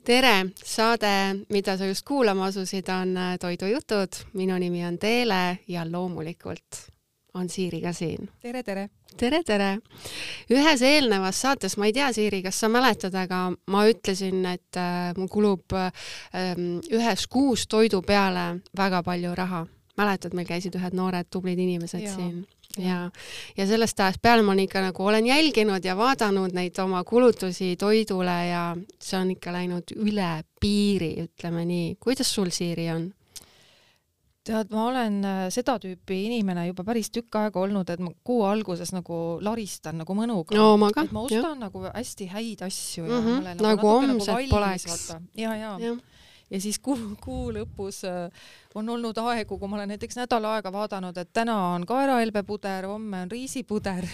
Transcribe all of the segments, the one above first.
Tere! Saade, mida sa just kuulama asusid, on Toidujutud. Minu nimi on Teele ja loomulikult on Siiri ka siin. Tere, tere! Tere, tere! Ühes eelnevas saates, ma ei tea, Siiri, kas sa mäletad, aga ma ütlesin, et mul kulub ühes kuus toidu peale väga palju raha. Mäletad, meil käisid ühed noored tublid inimesed siin. Ja sellest ajast peale ma ikka nagu olen jälginud ja vaadanud neid oma kulutusi toidule ja see on ikka läinud üle piiri, ütleme nii. Kuidas sul, Siiri, on? Tead, ma olen seda tüüpi inimene juba päris tükk aega olnud, et ma kuu alguses nagu laristan nagu mõnuga. No, ma ka, et ma ostan nagu hästi häid asju. Ja nagu homset poleks. Ja. Ja siis kuu lõpus on olnud aegu, kui ma olen näiteks nädal aega vaadanud, et täna on kaerahelbepuder, homme on riisipuder.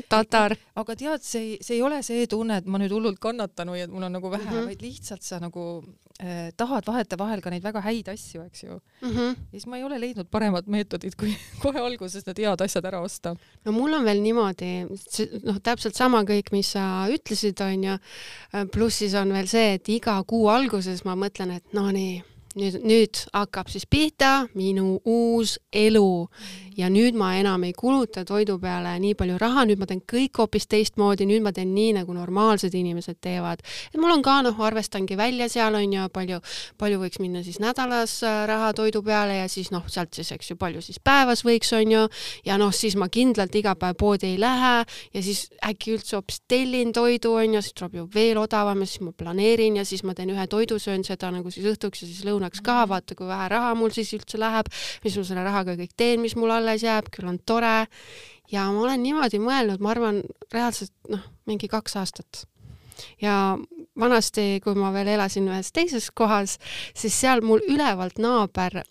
Tatar. Aga tead, see ei ole see tunne, et ma nüüd hullult kannatan või et mul on nagu vähe, vaid lihtsalt sa nagu tahad vahel ka neid väga häid asju, eks ju. Ja siis ma ei ole leidnud paremat meetodit, kui kohe alguses need head asjad ära osta. No mul on veel niimoodi, täpselt sama kõik, mis sa ütlesid, on ja pluss siis on veel see, et iga kuu alguses ma mõtlen, et no nii, nüüd hakkab siis pihta minu uus elu ja nüüd ma enam ei kuluta toidu peale nii palju raha, nüüd ma teen kõik hoopis teistmoodi, nüüd ma teen nii, nagu normaalsed inimesed teevad. Et mul on ka, arvestangi välja seal on ja palju võiks minna siis nädalas raha toidu peale ja siis sealt siis, eks ju, palju siis päevas võiks on ju ja siis ma kindlalt iga päev poodi ei lähe ja siis äkki üldse hoopis tellin toidu on ja siis tuleb ju veel odavam ja siis ma planeerin ja siis ma teen ühe toidu, söön seda nagu siis õhtuks ja siis lõunaks ka, vaata kui vähe raha mul siis üldse läheb, mis ma selle rahaga kõik teen, mis mul alles jääb, küll on tore ja ma olen niimoodi mõelnud, ma arvan reaalselt mingi 2 aastat ja vanasti, kui ma veel elasin ühes teises kohas, siis seal mul ülevalt naaber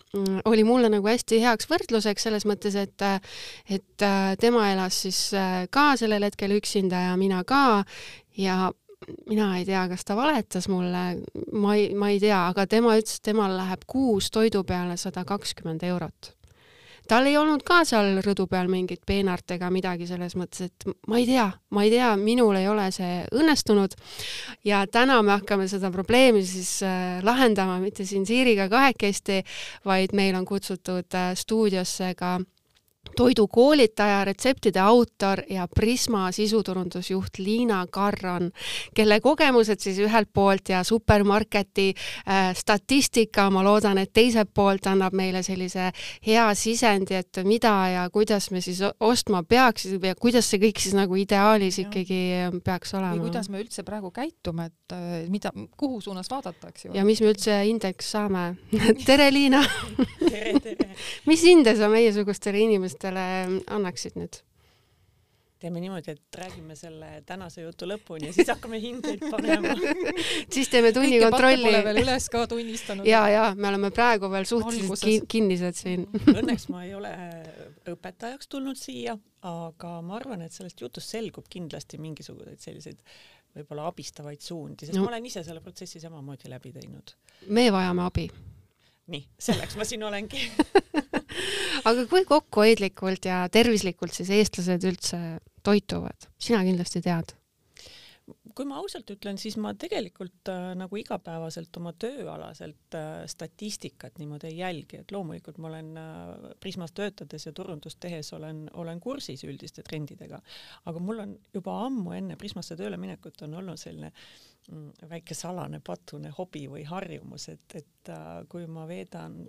oli mulle nagu hästi heaks võrdluseks selles mõttes, et tema elas siis ka sellel hetkel üksinda ja mina ka ja mina ei tea, kas ta valetas mulle, ma ei tea, aga tema ütles, et temal läheb kuus toidu peale 120 €. Tal ei olnud ka seal rõdu peal mingit peenart ega midagi selles mõttes, et ma ei tea, minul ei ole see õnnestunud ja täna me hakkame seda probleemi siis lahendama mitte siin Siiriga kahekesti, vaid meil on kutsutud stuudiosse ka toidukoolitaja, retseptide autor ja Prisma sisuturundusjuht Liina Karron, kelle kogemused siis ühelt poolt ja supermarketi statistika, ma loodan, et teiselt poolt annab meile sellise hea sisendi, et mida ja kuidas me siis ostma peaks ja kuidas see kõik siis nagu ideaalis ikkagi peaks olema. Või kuidas me üldse praegu käitume, et kuhu suunas vaadata, eks ju? Ja mis me üldse indeks saame. Tere, Liina! Tere! Mis hinde sa meiesugustele inimestele annaksid nüüd? Teeme niimoodi, et räägime selle tänase jutu lõpuni ja siis hakkame hindeid panema. Siis teeme tunni kontrolli. Kõike pole veel üles ka tunnistanud. Ja, me oleme praegu veel suhteliselt kinnised siin. Õnneks ma ei ole õpetajaks tulnud siia, aga ma arvan, et sellest jutust selgub kindlasti mingisuguseid selliseid võib-olla abistavaid suundi, sest ma olen ise selle protsessi samamoodi läbi teinud. Me vajame abi. Nii, selleks ma siin olengi. Aga kui kokkuhoidlikult ja tervislikult siis eestlased üldse toituvad? Sina kindlasti tead. Kui ma ausalt ütlen, siis ma tegelikult nagu igapäevaselt oma tööalaselt statistikat niimoodi ei jälgi, et loomulikult ma olen Prismas töötades ja turundust tehes olen kursis üldiste trendidega, aga mul on juba ammu enne Prismasse tööle minekut on olnud selline väike salane patune hobi või harjumus, et kui ma veedan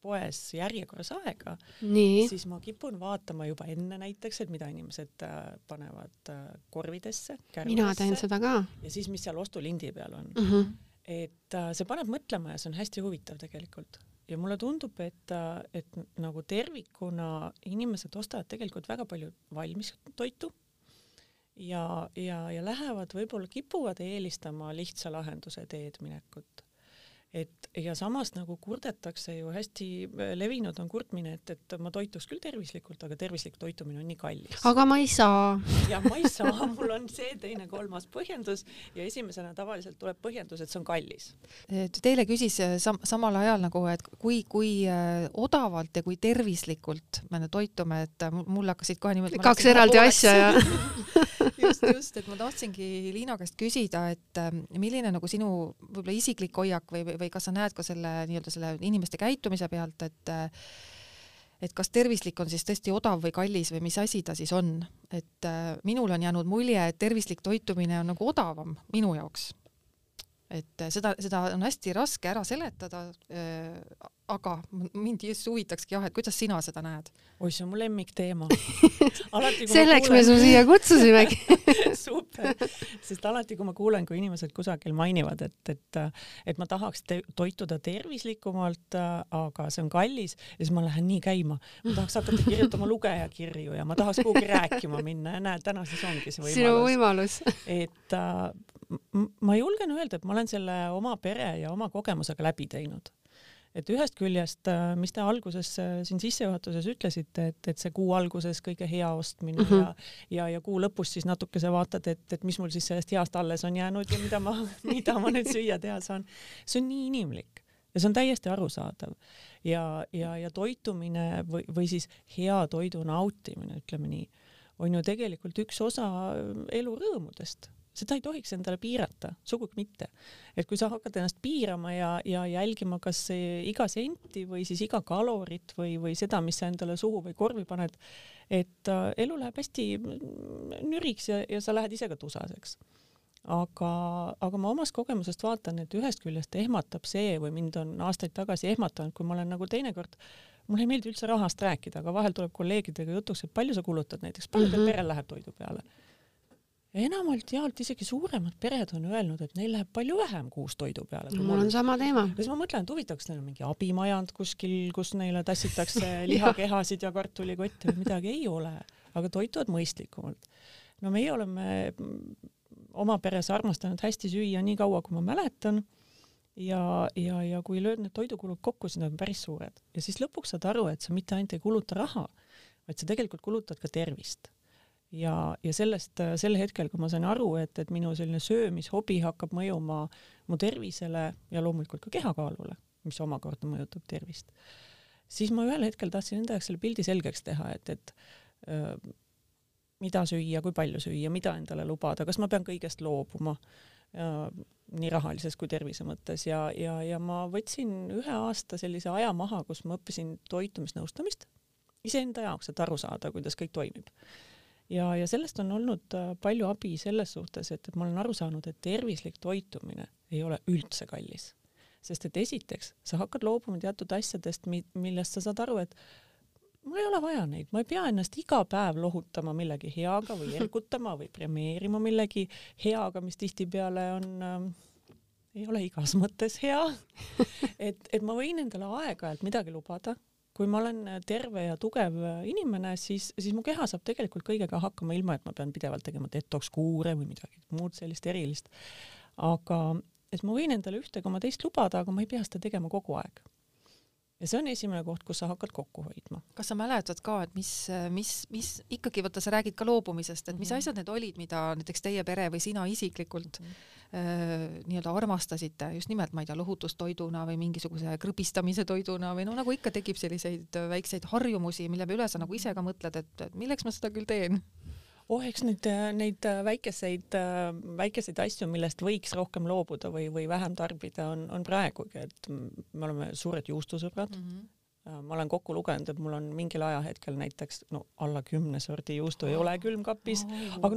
poes järjekorras aega, siis ma kipun vaatama juba enne näiteks, et mida inimesed panevad korvidesse, kärudesse. Mina teen seda ka. Ja siis, mis seal ostulindi peal on. Et see paneb mõtlema ja see on hästi huvitav tegelikult. Ja mulle tundub, et nagu tervikuna inimesed ostavad tegelikult väga palju valmis toitu ja lähevad, võib-olla kipuvad eelistama lihtsa lahenduse teed minekut. et ja samas nagu kurdetakse ju, hästi levinud on kurtmine, et ma toituks küll tervislikult, aga tervislik toitumine on nii kallis. Aga ma ei saa. Ja ma ei saa, mul on see teine, kolmas põhjendus ja esimesena tavaliselt tuleb põhjendus, et see on kallis. Teile küsis samal ajal nagu, et kui odavalt ja kui tervislikult me toitume, et mul hakkasid kohe niimoodi... 2 eraldi asja ja... just, et ma tahtsingi Liina käest küsida, et milline nagu sinu võib-olla isiklik hoiak või kas sa näed ka selle nii-öelda selle inimeste käitumise pealt, et kas tervislik on siis tõesti odav või kallis või mis asi ta siis on, et minul on jäänud mulje, et tervislik toitumine on nagu odavam minu jaoks. Et seda on hästi raske ära seletada, aga mind just huvitakski jah, et kuidas sina seda näed? Oi, see on mu lemmikteema. Selleks me su siia kutsusimegi. Super, sest alati kui ma kuulen, kui inimesed kusagil mainivad, et ma tahaks toituda tervislikumalt, aga see on kallis, ja siis ma lähen nii käima. Ma tahaks hakata kirjutama lugejakirju ja ma tahaks kuhugi rääkima minna ja näed, täna siis ongi see võimalus. Sinu võimalus. Et ma julgen öelda, et ma olen selle oma pere ja oma kogemusega läbi teinud. Et ühest küljest, mis te alguses siin sissejuhatuses ütlesite, et see kuu alguses kõige hea ostmine ja kuu lõpus siis natukese vaatad, et mis mul siis sellest heast alles on jäänud ja mida ma nüüd süüa teha saan. See on nii inimlik ja see on täiesti arusaadav. Ja toitumine või siis hea toidu nautimine, ütleme nii, on ju tegelikult üks osa elu rõõmudest. Seda ei tohiks endale piirata, sugugi mitte. Et kui sa hakkad ennast piirama ja jälgima kas iga senti või siis iga kalorit või seda, mis sa endale suhu või korvi paned, et elu läheb hästi nüriks ja sa lähed ise ka tusaseks. Aga ma omast kogemusest vaatan, et ühest küljest ehmatab see või mind on aastaid tagasi ehmatanud, kui ma olen nagu teinekord, mul ei meeldi üldse rahast rääkida, aga vahel tuleb kolleegidega jutuks, et palju sa kulutad näiteks, palju teil perel läheb toidu peale. Enamalt jaolt isegi suuremad pered on öelnud, et neil läheb palju vähem kuus toidu peale. Mul on sama teema. Ja siis ma mõtlen, et huvitaks neil on mingi abimajand kuskil, kus neile tassitakse lihakehasid ja kartulikotti või midagi ei ole, aga toituvad mõistlikumalt. No meie oleme oma peres armastanud hästi süüa nii kaua, kui ma mäletan ja kui lööd need toidukulud kokku, siis need on päris suured. Ja siis lõpuks saad aru, et sa mitte ainult ei kuluta raha, vaid sa tegelikult kulutad ka tervist. Ja selle hetkel, kui ma sain aru, et minu selline söömishobi hakkab mõjuma mu tervisele ja loomulikult ka kehakaalule, mis omakorda mõjutab tervist, siis ma ühel hetkel tahtsin enda jaoks selle pildi selgeks teha, et mida süüa, kui palju süüa, mida endale lubada, kas ma pean kõigest loobuma, nii rahalises kui tervise mõttes ja ma võtsin 1 aasta sellise aja maha, kus ma õppisin toitumisnõustamist iseenda jaoks, et aru saada, kuidas kõik toimib. Ja sellest on olnud palju abi selles suhtes, et ma olen aru saanud, et tervislik toitumine ei ole üldse kallis. Sest et esiteks, sa hakkad loobuma teatud asjadest, millest sa saad aru, et mul ei ole vaja neid, ma ei pea ennast iga päev lohutama millegi heaga või ergutama või premeerima millegi heaga, mis tihtipeale ei ole igas mõttes hea. Et ma võin endale aeg-ajalt midagi lubada. Kui ma olen terve ja tugev inimene, siis mu keha saab tegelikult kõigega hakkama ilma, et ma pean pidevalt tegema detox-kuure või midagi muud sellist erilist. Aga et ma võin endale ühte koma teist lubada, aga ma ei pea seda tegema kogu aeg. Ja see on esimene koht, kus sa hakkad kokku hoidma. Kas sa mäletad ka, et mis ikkagi, võtta, sa räägid ka loobumisest, et mis asjad need olid, mida näiteks teie pere või sina isiklikult nii-öelda armastasite, just nimelt, ma ei tea, lohutustoiduna või mingisuguse krõbistamise toiduna või no nagu ikka tekib selliseid väikseid harjumusi, mille üle sa nagu ise ka mõtled, et milleks ma seda küll teen? Eks neid väikeseid asju, millest võiks rohkem loobuda või vähem tarbida, on praegugi, et me oleme suured juustusõbrad. Ma olen kokku lugenud, et mul on mingil ajahetkel näiteks alla 10 sordi juustu ei ole külmkapis, aga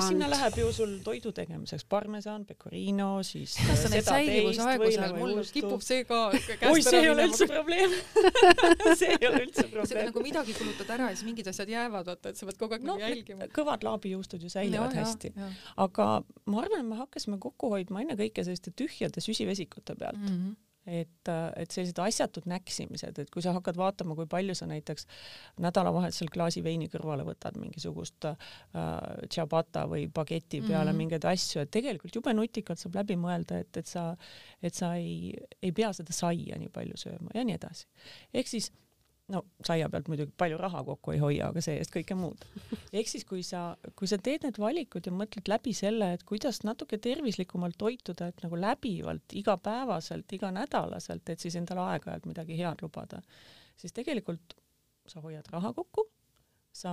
sinna läheb ju sul toidu tegemiseks parmesan, pecorino, siis kas sa neid säilivuse aegusel, mul kipub see ka käest see ei ole üldse probleem. See ei ole üldse probleem. See nagu midagi kulutad ära ja siis mingid asjad jäävad, et sa pead kogu aeg jälgima. Kõvad laabijuustud ju säilivad hästi. Aga ma arvan, et me hakkasime kokku hoidma ennekõike selliste tühjade süsivesikute pealt. et sellised asjatud näksimised, et kui sa hakkad vaatama, kui palju sa näiteks nädalavahetusel klaasi veini kõrvale võtad mingisugust ciabatta või bageti peale mingeid asju, et tegelikult jube nutikalt saab läbi mõelda, et sa ei pea seda saia nii palju sööma ja nii edasi. Ehk siis no saia pealt muidugi palju raha kokku ei hoia, aga see eest kõike muud. Ehk siis, kui sa teed need valikud ja mõtled läbi selle, et kuidas natuke tervislikumalt toituda, et nagu läbivalt, igapäevaselt, iganädalaselt, et siis endale aeg-ajalt midagi head lubada, siis tegelikult sa hoiad raha kokku, sa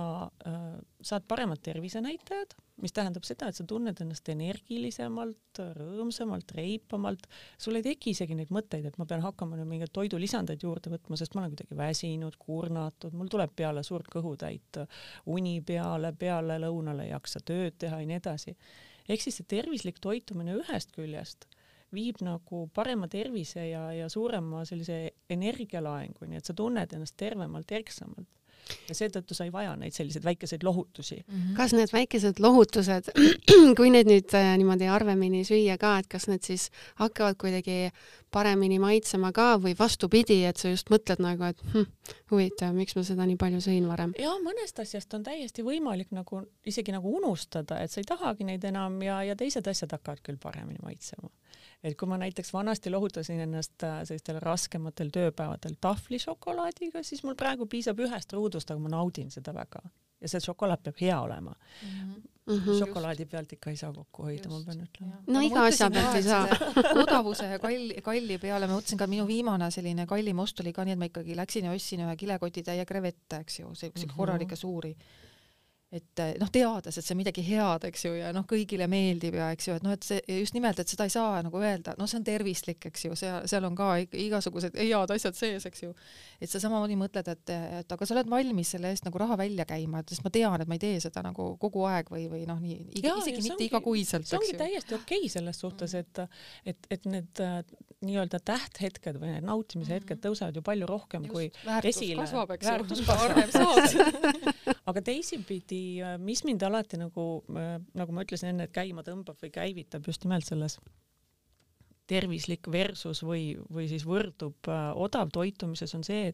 saad paremad tervisenäitajad, mis tähendab seda, et sa tunned ennast energilisemalt, rõõmsamalt, reipamalt. Sul ei teki isegi neid mõtteid, et ma pean hakkama mingeid toidulisandeid juurde võtma, sest ma olen kuidagi väsinud, kurnatud, mul tuleb peale suurt kõhutäit uni peale lõunale ei jaksa tööd teha ja nii edasi. Ehk siis see tervislik toitumine ühest küljest viib nagu parema tervise ja suurema sellise energialaenguni, et sa tunned ennast tervemalt, erksamalt. Ja seetõttu sa ei vaja neid selliseid väikeseid lohutusi. Kas need väikesed lohutused, kui need nüüd niimoodi harvemini süüa ka, et kas need siis hakkavad kuidagi paremini maitsema ka või vastupidi, et sa just mõtled nagu, et huvitav, miks ma seda nii palju sõin varem? Ja mõnest asjast on täiesti võimalik nagu isegi nagu unustada, et sa ei tahagi neid enam ja teised asjad hakkavad küll paremini maitsema. Et kui ma näiteks vanasti lohutasin ennast sellistel raskematel tööpäevadel tahvlišokolaadiga, siis mul praegu piisab ühest ruudust, aga ma naudin seda väga. Ja see šokolaad peab hea olema. Šokolaadi pealt ikka ei saa kokku hoida, ma pean ütlema. No iga asja pealt ei saa. Odavuse ja kalli peale ma mõtlesin ka, minu viimane selline kallim ost oli ka nii, et ma ikkagi läksin ja ostsin ühe kilekoti täie krevette, eks ju, see korralike suuri. Et noh, teades, et see midagi head, eks ju, ja noh, kõigile meeldib ja eks ju, et noh, et see just nimelt, et seda ei saa nagu öelda, no see on tervislik, eks ju, seal on ka igasugused head asjad sees, eks ju. Et sa samamoodi mõtled, et aga sa oled valmis selle eest nagu raha välja käima, et sest ma tean, et ma ei tee seda nagu kogu aeg või noh, nii, isegi mitte igakuiselt. See ongi täiesti okei selles suhtes, et need nii-öelda tähthetked või need nautimise hetked tõusevad ju palju rohkem just, kui esile. Väärtus kasvab. Aga teisipidi, mis mind alati nagu ma ütlesin enne, et käima tõmbab või käivitab just nimelt selles tervislik versus või siis võrdub odav toitumises on see,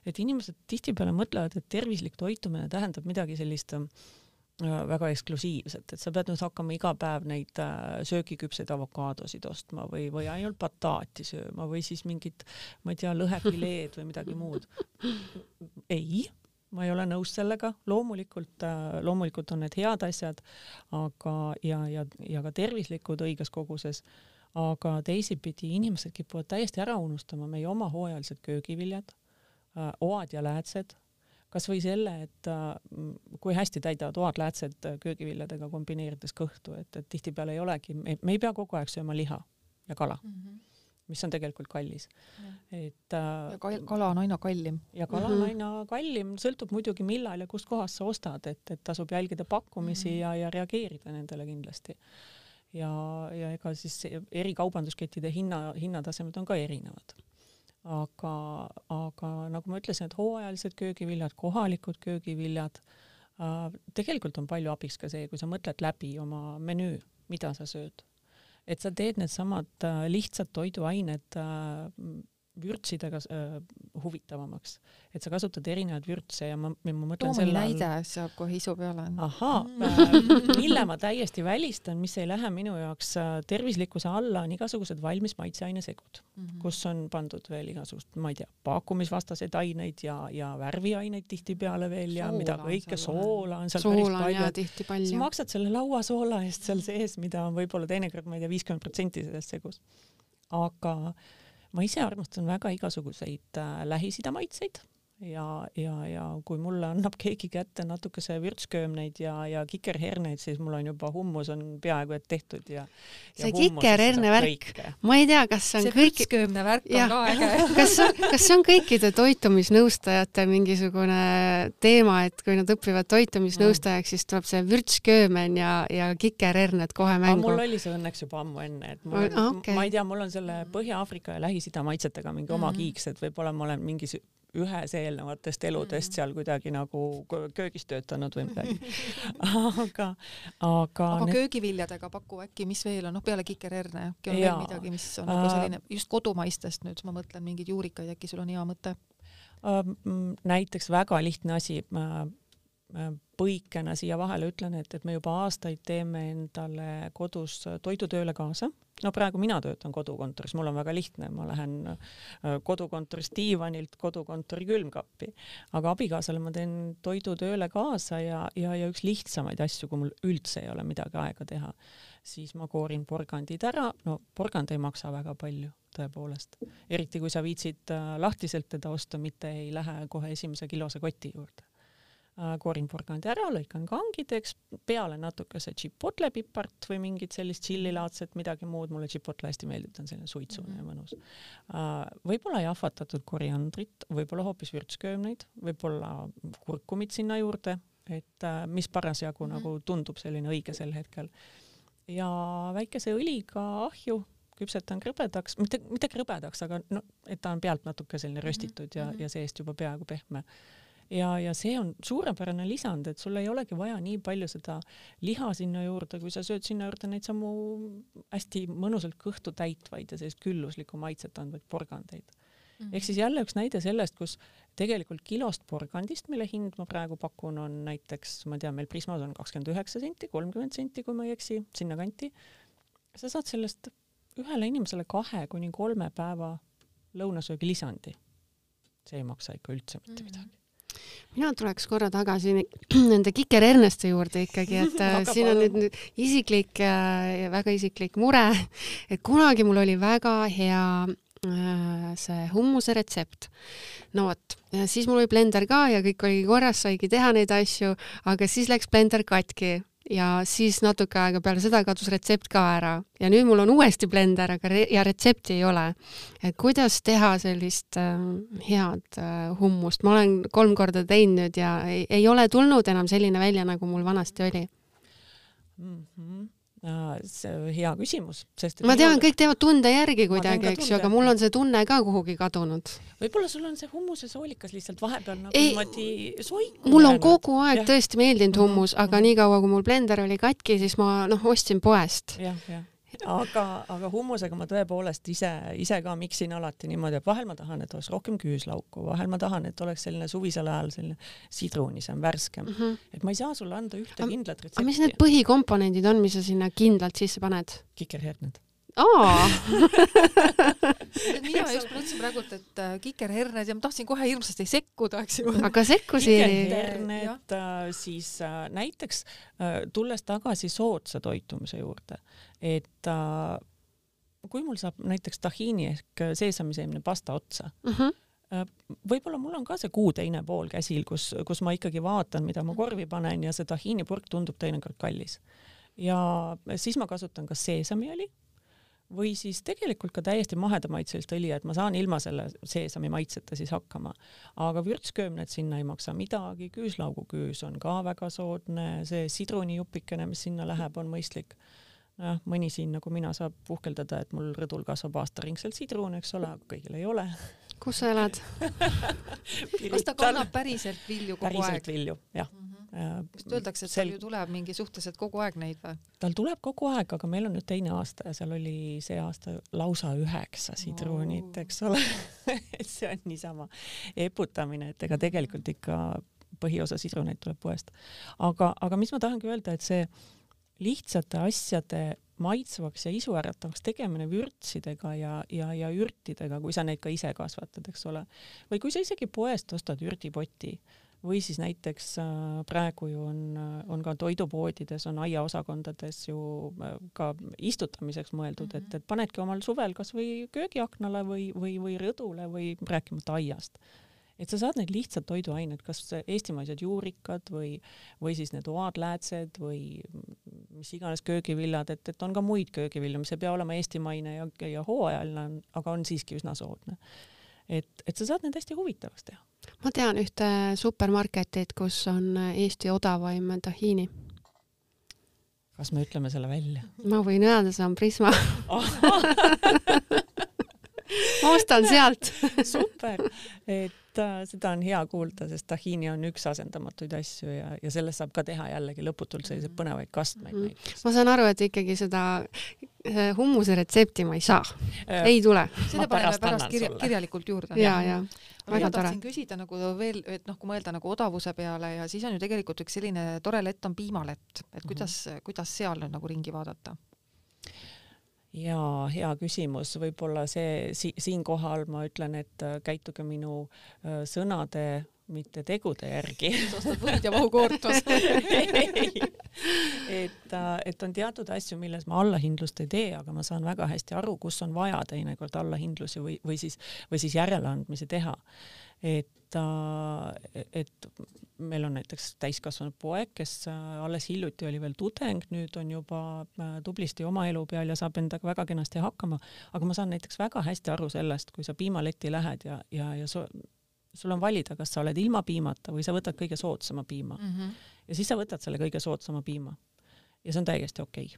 et inimesed tihtipeale mõtlevad, et tervislik toitumine tähendab midagi sellist väga eksklusiivset, et sa pead nüüd hakkama iga päev neid söögiküpseid avokaadosid ostma või ainult bataati sööma või siis mingit, ma ei tea, lõhefileed või midagi muud. Ei, ma ei ole nõus sellega, loomulikult on need head asjad, aga ja ka tervislikud õiges koguses, aga teisipidi inimesed kipuvad täiesti ära unustama meie oma hooajalised köögiviljad, oad ja läätsed, kas või selle, et kui hästi täidavad oad läätsed köögiviljadega kombineerides kõhtu, et tihtipeale ei olegi, me ei pea kogu aeg sööma liha ja kala. Mis on tegelikult kallis. Ja kala on aina kallim. Ja kala on aina kallim, sõltub muidugi millal ja kust kohast sa ostad, et tasub jälgida pakkumisi ja reageerida nendele kindlasti. Ja ega siis eri kaubanduskettide hinnatasemed on ka erinevad. Aga nagu ma ütlesin, et hooajalised köögiviljad, kohalikud köögiviljad, tegelikult on palju abiks ka see, kui sa mõtled läbi oma menüü, mida sa sööd. Et sa teed need samad lihtsad toiduained vürtsidega huvitavamaks. Et sa kasutad erinevaid vürtse ja ma mõtlen selle näide saab kohe isu peale. Mille ma täiesti välistan, mis ei lähe minu jaoks tervislikkuse alla, on igasugused valmis maitseainesegud, kus on pandud veel igasugust, ma ei tea, paakumisvastaseid aineid ja värviaineid tihtipeale veel ja mida kõike, soola on seal päris palju. Sa maksad selle lauasoola eest seal sees, mida on võib-olla teinekord, ma ei tea, 50% sellest segus. Aga ma ise armastan väga igasuguseid Lähis-Ida maitseid ja kui mulle annab keegi kätte natukese vürtsköömneid ja kikerherneid, siis mul on juba hummus on peaaegu et tehtud ja see kikerherne värk, ma ei tea, kas see on see vürtsköömne värk on ka äge. Kas see on kõikide toitumisnõustajate mingisugune teema, et kui nad õpivad toitumisnõustajaks, siis tuleb see vürtsköömen ja kikerherned kohe mängu? Mul oli see õnneks juba ammu enne, et ma ei tea, mul on selle Põhja-Aafrika ja Lähis-Ida maitsetega mingi oma kiiks, et võib-olla ma olen ühes eelnevatest eludest seal kuidagi nagu köögis töötanud või midagi. aga köögiviljadega paku äkki, mis veel on, peale kikerherne, äkki on veel midagi, mis on nagu selline, just kodumaistest nüüd, ma mõtlen mingeid juurikaid, äkki sul on hea mõte? Näiteks väga lihtne asi, põikena siia vahele ütlen, et me juba aastaid teeme endale kodus toidutööle kaasa. No praegu mina töötan kodukontoris, mul on väga lihtne, ma lähen kodukontorist diivanilt kodukontori külmkappi, aga abikaasale ma teen toidutööle kaasa ja üks lihtsamaid asju, kui mul üldse ei ole midagi aega teha, siis ma koorin porgandid ära, no porgand ei maksa väga palju, tõepoolest. Eriti kui sa viitsid lahtiselt teda osta, mitte ei lähe kohe esimese kilose koti juurde. Koorin porgandi ära, lõikan kangideks, peale natuke see chipotle pipart või mingit sellist tšillilaadset, midagi muud, mulle chipotle hästi meeldib, ta on selline suitsune ja mõnus. Võib-olla jahvatatud koriandrit, võib-olla hoopis vürtsköömneid, võib-olla kurkumit sinna juurde, et mis parasjagu nagu tundub selline õige sel hetkel. Ja väikese õliga ahju, küpsetan krõbedaks, mitte krõbedaks, aga no, et ta on pealt natuke selline röstitud ja seest juba peaaegu pehme. Ja see on suurepärane lisand, et sul ei olegi vaja nii palju seda liha sinna juurde, kui sa sööd sinna juurde neid samu hästi mõnusalt kõhtu täitvaid ja sellist külluslikku maitset andvaid porgandeid. Ehk siis jälle üks näide sellest, kus tegelikult kilost porgandist, mille hind ma praegu pakun, on näiteks, ma tean, meil Prismas on 29 senti, 30 senti, kui ma ei eksi, sinna kanti. Sa saad sellest ühele inimesele 2-3 päeva lõunasöögi lisandi. See ei maksa ikka üldse mitte midagi. Mina tuleks korra tagasi nende kikerherneste juurde ikkagi, et siin on nüüd isiklik, väga isiklik mure, et kunagi mul oli väga hea see hummuse retsept. No vot, siis mul oli blender ka ja kõik oli korras, saigi teha neid asju, aga siis läks blender katki ja siis natuke aega peale seda kadus retsept ka ära. Ja nüüd mul on uuesti blender, aga ja retsepti ei ole. Et kuidas teha sellist head hummust? Ma olen 3 korda teinud ja ei ole tulnud enam selline välja, nagu mul vanasti oli. See hea küsimus. Sest ma tean, kõik teevad tunde järgi kuidagi, eks ju, aga mul on see tunne ka kuhugi kadunud. Võib-olla sul on see hummuse soolikas lihtsalt vahepeal nagu niimoodi soiku. Mul on kogu aeg tõesti meeldinud hummus, aga nii kaua, kui mul blender oli katki, siis ma ostsin poest. Jah. Aga hummusega ma tõepoolest ise ka miksin alati niimoodi, et vahel ma tahan, et oleks rohkem küüslauku, vahel ma tahan, et oleks selline suvisel ajal selline sidrunisem, värskem. Et ma ei saa sulle anda ühte kindlat retsepti. Aga mis need põhikomponendid on, mis sa sinna kindlalt sisse paned? Kikerherned. Mina just mõtlesin praegu, et kikerherned ja ma tahtsin kohe hirmsasti sekkuda, eks ju. Aga sekkusi... Kikerherned, siis näiteks tulles tagasi soodsa toitumise juurde, et kui mul saab näiteks tahiini ehk seesamiseemne pasta otsa, võib-olla mul on ka see kuu teine pool käsil, kus ma ikkagi vaatan, mida ma korvi panen ja see tahiinipurk tundub teinekord kallis. Ja siis ma kasutan ka seesamiõli või siis tegelikult ka täiesti mahedamaitselist õli, et ma saan ilma selle seesami maitseta siis hakkama. Aga vürtsköömned sinna ei maksa midagi, küüslauguküüs on ka väga soodne, see sidrunijupikene, mis sinna läheb, on mõistlik. Mõni siin nagu mina saab puhkeldada, et mul rõdul kasvab aastaringselt sidrun, eks ole, aga kõigil ei ole. Kus sa elad? Kas ta kannab päriselt vilju kogu aeg? Päriselt vilju, jah. Vist öeldakse, et tal ju tuleb mingi suhteliselt kogu aeg neid või? Tal tuleb kogu aeg, aga meil on nüüd teine aasta ja seal oli see aasta lausa 9 sidrunit, eks ole. See on niisama eputamine, et ega tegelikult ikka põhiosa sidruneid tuleb poest. Aga mis ma tahangi öelda, et see lihtsate asjade maitsvaks ja isuäratavaks tegemine vürtsidega ja ürtidega, kui sa neid ka ise kasvatad, eks ole. Või kui sa isegi poest ostad ürdipoti või siis näiteks praegu ju on ka toidupoodides, on aiaosakondades ju ka istutamiseks mõeldud, et panedki omal suvel kas või köögiaknale või rõdule või rääkimata aiast. Et sa saad neid lihtsalt toiduained, kas eestimaised juurikad või siis need oadläätsed või mis iganes köögiviljad, et on ka muid köögivilju, mis ei pea olema eestimaine ja hooajaline, aga on siiski üsna soodne. Et sa saad need hästi huvitavaks teha. Ma tean ühte supermarketit, kus on Eesti odavaim tahiini. Kas me ütleme selle välja? Ma võin öelda, see on Prisma. Ma ostan sealt. Super. Et seda on hea kuulda, sest tahini on üks asendamatuid asju ja sellest saab ka teha jällegi lõputult selliseid põnevaid kastmeid. Ma saan aru, et ikkagi seda hummuse retsepti ma ei saa. Ei tule. Seda paneme pärast kirjalikult juurde. Ja. Mina tahtsin küsida nagu veel, et kui mõelda nagu odavuse peale ja siis on ju tegelikult üks selline tore lett on piimalett, et kuidas seal nüüd nagu ringi vaadata? Ja hea küsimus, võib-olla siinkohal ma ütlen, et käituge minu sõnade, mitte tegude järgi. Ostad võid ja vahukoortus. et on teatud asju, milles ma allahindlust ei tee, aga ma saan väga hästi aru, kus on vaja teinekord allahindlusi või siis järeleandmisi teha. Et meil on näiteks täiskasvanud poeg, kes alles hiljuti oli veel tudeng, nüüd on juba tublisti oma elu peal ja saab endaga väga kenasti hakkama, aga ma saan näiteks väga hästi aru sellest, kui sa piimaletti lähed ja sul on valida, kas sa oled ilma piimata või sa võtad kõige soodsama piima. Ja siis sa võtad selle kõige soodsama piima. Ja see on täiesti okei.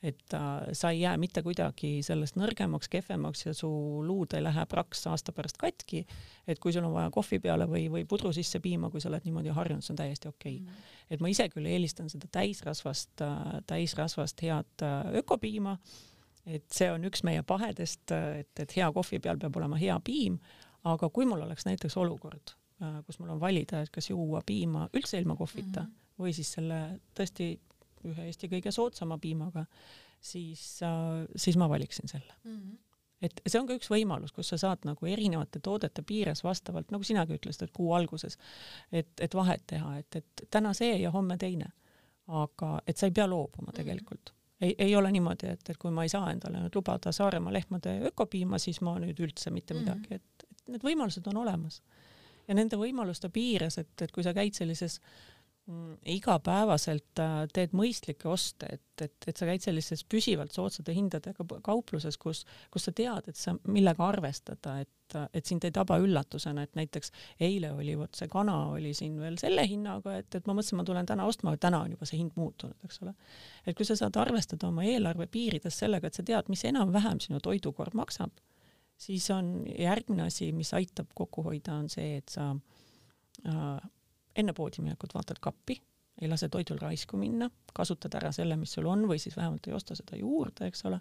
Et sa ei jää mitte kuidagi sellest nõrgemaks, kehvemaks ja su luud ei lähe praks aasta pärast katki, et kui sul on vaja kohvi peale või pudru sisse piima, kui sa oled niimoodi harjunud, see on täiesti okei. Et ma ise küll eelistan seda täisrasvast head ökopiima, et see on üks meie pahedest, et hea kohvi peal peab olema hea piim, aga kui mul oleks näiteks olukord, kus mul on valida, et kas juua piima üldse ilma kohvita või siis selle tõesti ühe Eesti kõige soodsama piimaga, siis ma valiksin selle. Et see on ka üks võimalus, kus sa saad nagu erinevate toodete piires vastavalt, nagu sinagi ütlesid, et kuu alguses, et vahet teha, et täna see ja homme teine. Aga et sa ei pea loobuma tegelikult. Ei ole niimoodi, et kui ma ei saa endale nüüd lubada Saaremaa lehmade ökopiima, siis ma nüüd üldse mitte midagi, et need võimalused on olemas. Ja nende võimaluste piires, et kui sa käid sellises igapäevaselt teed mõistlikke oste, et sa käid sellises püsivalt soodsate hindadega kaupluses, kus sa tead, et sa millega arvestada, et sind ei taba üllatusena, et näiteks eile oli see kana oli siin veel selle hinnaga, et ma mõtlesin, ma tulen täna ostma, täna on juba see hind muutunud, eks ole. Et kui sa saad arvestada oma eelarve piirides sellega, et sa tead, mis enam-vähem sinu toidukorv maksab, siis on järgmine asi, mis aitab kokku hoida, on see, et sa enne poodiminekut vaatad kappi, ei lase toidul raisku minna, kasutad ära selle, mis sul on, või siis vähemalt ei osta seda juurde, eks ole.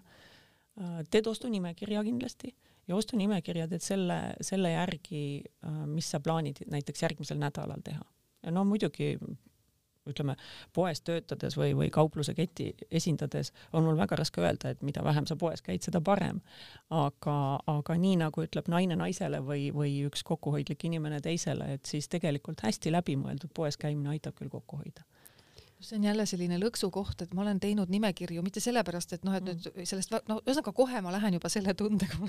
Teed ostunimekirja kindlasti ja ostunimekirja teed selle järgi, mis sa plaanid näiteks järgmisel nädalal teha. Ja no muidugi ütleme, poes töötades või kaupluse keti esindades on mul väga raske öelda, et mida vähem sa poes käid, seda parem. Aga nii nagu ütleb naine naisele või üks kokkuhoidlik inimene teisele, et siis tegelikult hästi läbimõeldud poes käimine aitab küll kokku hoida. See on jälle selline lõksu koht, et ma olen teinud nimekirju, mitte sellepärast, et et nüüd sellest, ühesõnaga kohe ma lähen juba selle tundega,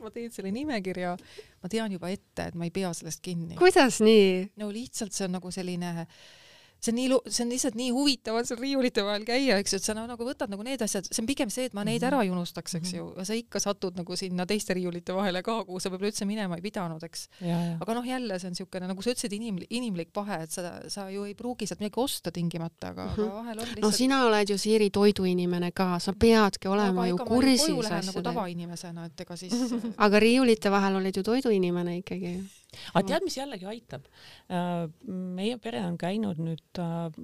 ma teen selle nimekirja, ma tean juba ette, et ma ei pea sellest kinni. Kuidas nii? No lihtsalt see on nagu selline see on lihtsalt nii huvitav seal riiulite vahel käia, eks ju, et sa nagu võtad nagu need asjad, see on pigem see, et ma neid ära ei unustaks, eks ju, ja sa ikka satud nagu sinna teiste riiulite vahele ka, kuhu sa võib-olla üldse minema ei pidanud, eks. Aga jälle see on niisugune, nagu sa ütlesid, inimlik pahe, et sa ju ei pruugi sealt midagi osta tingimata, aga vahel on lihtsalt... No sina oled ju, Siiri, toiduinimene ka, sa peadki olema ju kursis koju lähen nagu tavainimesena, et ega siis... Aga riiulite vahel oled ju toiduinimene ikkagi. Aga tead, mis jällegi aitab? Meie pere on käinud nüüd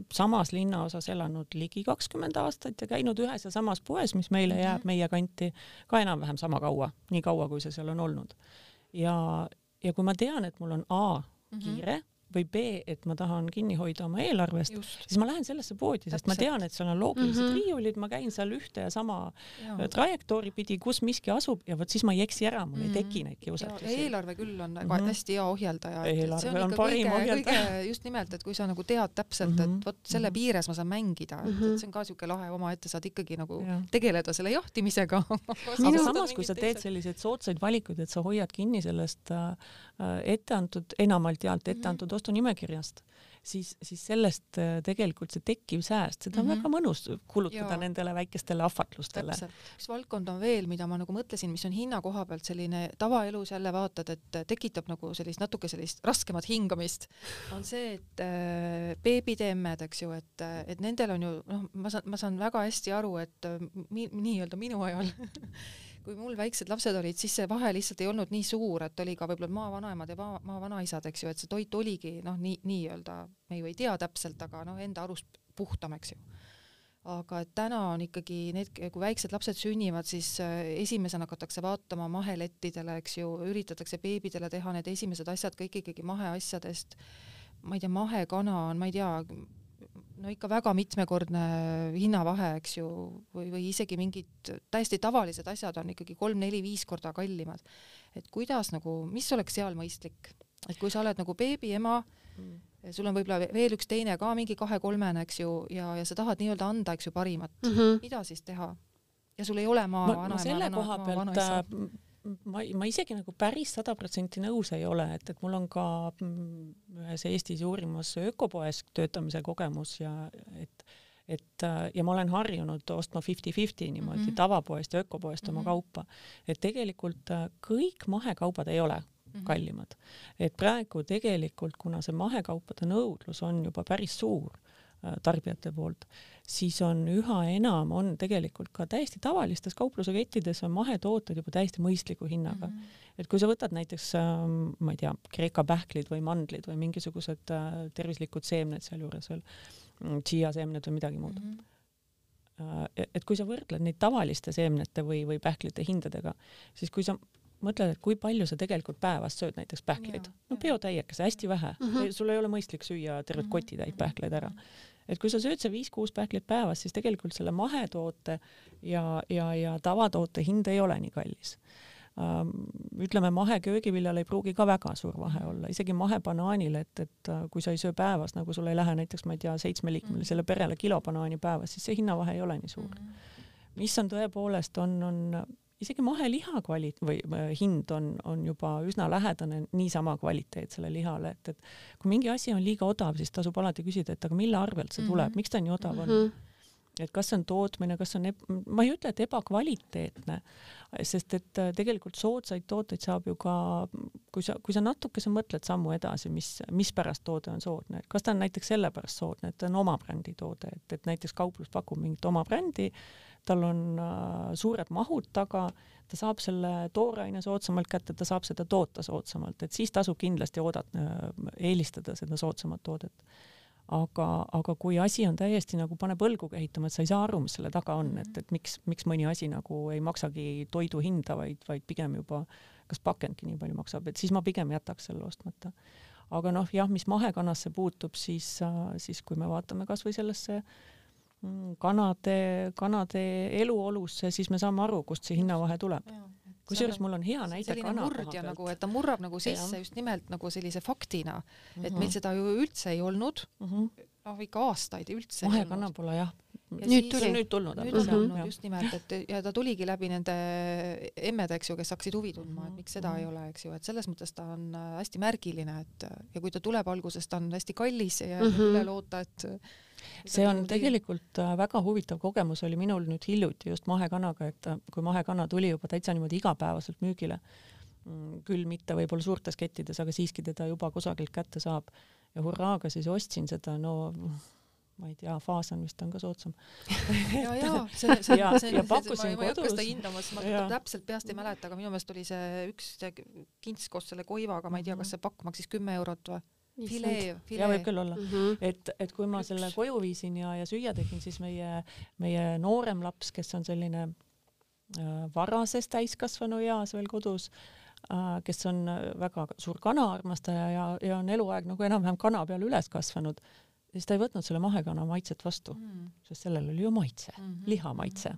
samas linnaosas elanud ligi 20 aastat ja käinud ühes ja samas poes, mis meile jääb meie kanti ka enam-vähem sama kaua, nii kaua, kui see seal on olnud. Ja kui ma tean, et mul on A, kiire, või B, et ma tahan kinni hoida oma eelarvest, siis ma lähen sellesse poodi, sest ma tean, et seal on loogilised riiulid, ma käin seal ühte ja sama trajektoori pidi, kus miski asub ja võt siis ma ei eksi ära, mul ei teki neid kiusatusi. Eelarve küll on hästi hea ohjeldaja. Eelarve on parim ohjeldaja. Just nimelt, et kui sa nagu tead täpselt, et võt selle piires ma saan mängida, et see on ka siuke lahe oma ette, saad ikkagi nagu tegeleda selle jahtimisega. Aga samas, kui sa teed selliseid soodsaid valikuid, et sa hoiad kinni sellest enamalt jaalt etteantud ostunimekirjast, siis sellest tegelikult see tekkiv sääst, seda on väga mõnus kulutada nendele väikestele ahvatlustele. Üks valdkond on veel, mida ma nagu mõtlesin, mis on hinna koha pealt selline tavaelus jälle vaatad, et tekitab nagu natuke sellist raskemat hingamist, on see, et beebide emmed, eks ju, et nendel on ju, ma saan väga hästi aru, et nii-öelda minu ajal kui mul väiksed lapsed olid, siis see vahe lihtsalt ei olnud nii suur, et oli ka võib-olla maavanaemad ja maavanaisad, eks ju, et see toit oligi nii-öelda, me ju ei tea täpselt, aga enda arust puhtam, eks ju. Aga et täna on ikkagi need, kui väiksed lapsed sünnivad, siis esimesena hakatakse vaatama mahelettidele, eks ju, üritatakse beebidele teha need esimesed asjad kõik ikkagi maheasjadest. Ma ei tea, mahekana on, ma ei tea, ikka väga mitmekordne hinnavahe, eks ju, või isegi mingid täiesti tavalised asjad on ikkagi 3, 4, 5 korda kallimad. Et kuidas mis oleks seal mõistlik? Et kui sa oled beebi ema, sul on võib-olla veel üks teine ka mingi 2-3, eks ju, ja sa tahad nii-öelda anda, eks ju, parimat. Mida siis teha? Ja sul ei ole ma selle koha pealt ma isegi päris 100% nõus ei ole, et mul on ka ühes Eestis suurimas ökopoes töötamise kogemus ja ma olen harjunud ostma 50-50 niimoodi tavapoest ja ökopoest oma kaupa. Et tegelikult kõik mahekaubad ei ole kallimad. Et praegu tegelikult, kuna see mahekaupade nõudlus on juba päris suur tarbijate poolt, siis on üha enam on tegelikult ka täiesti tavalistes kauplusekettides on mahetooted juba täiesti mõistliku hinnaga. Et kui sa võtad näiteks, ma ei tea, Kreeka pähklid või mandlid või mingisugused tervislikud seemned seal juures veel, chia seemned või midagi muud. Et kui sa võrdled neid tavaliste seemnete või pähklite hindadega, siis kui sa mõtled, et kui palju sa tegelikult päevas sööd näiteks pähkleid, peotäiekese, hästi vähe. Sul ei ole mõistlik süüa tervet kotitäit pähkleid ära. Et kui sa sööd see 5-6 pähkleid päevas, siis tegelikult selle mahetoote ja tavatoote hind ei ole nii kallis. Ütleme, maheköögiviljal ei pruugi ka väga suur vahe olla. Isegi mahebanaanil, et kui sa ei söö päevas, nagu sul ei lähe näiteks, ma ei tea, 7-liikmelisele perele kilo banaani päevas, siis see hinnavahe ei ole nii suur. Mis on tõepoolest on isegi maheliha hind on juba üsna lähedane niisama kvaliteetsele lihale, et kui mingi asi on liiga odav, siis tasub alati küsida, et aga mille arvelt see tuleb, miks ta nii odav on? Et kas see on tootmine, kas on, ma ei ütle, et ebakvaliteetne, sest et tegelikult soodsaid tooteid saab ju ka, kui sa natukese mõtled sammu edasi, mis pärast toode on soodne, kas ta on näiteks sellepärast soodne, et ta on oma brändi toode, et näiteks kauplus pakub mingit oma brändi, tal on suured mahud taga, ta saab selle tooraine soodsamalt kätte, ta saab seda toota soodsamalt, et siis tasub kindlasti eelistada seda soodsamat toodet. Aga kui asi on täiesti paneb õlguga ehitama, et sa ei saa aru, mis selle taga on, et miks mõni asi ei maksagi toidu hinda, vaid pigem juba kas pakendki nii palju maksab, et siis ma pigem jätaks selle ostmata. Aga mis mahekanasse puutub, siis kui me vaatame kas või sellesse kanade eluolusse, siis me saame aru, kust see hinnavahe tuleb. Kusjuures mul on hea näide kana murdja, et ta murrab sisse just nimelt sellise faktina, et meil seda ju üldse ei olnud, ikka aastaid üldse. Mahekana pole jah. Nüüd tulnud. Just nimelt, ja ta tuligi läbi nende emmede, eks ju, kes hakkasid huvi tundma, et miks seda ei ole, eks ju, et selles mõttes ta on hästi märgiline, ja kui ta tuleb alguses, ta on hästi kallis ja üle loota, et see on tegelikult väga huvitav kogemus oli minul nüüd hiljuti just mahekanaga, et kui mahekana tuli juba täitsa niimoodi igapäevaselt müügile, küll mitte võib-olla suurtes kettides, aga siiski teda juba kusagilt kätte saab ja hurraaga siis ostsin seda, ma ei tea, Faasan vist on ka soodsam. ja pakkusin kodus. Ma ei hakka seda hindamas, ma täpselt peast ei mäleta, aga minu meelest oli see üks kints koos selle koivaga, ma ei tea, kas see pakk maksis 10 eurot või? Filee. Ja võib küll olla. Et kui ma selle koju viisin ja süüa tegin, siis meie noorem laps, kes on selline varases täiskasvanu eas veel kodus, kes on väga suur kanaarmastaja ja on eluaeg enam-vähem kana peal üles kasvanud, siis ta ei võtnud selle mahekana maitset vastu, sest sellel oli ju maitse, lihamaitse.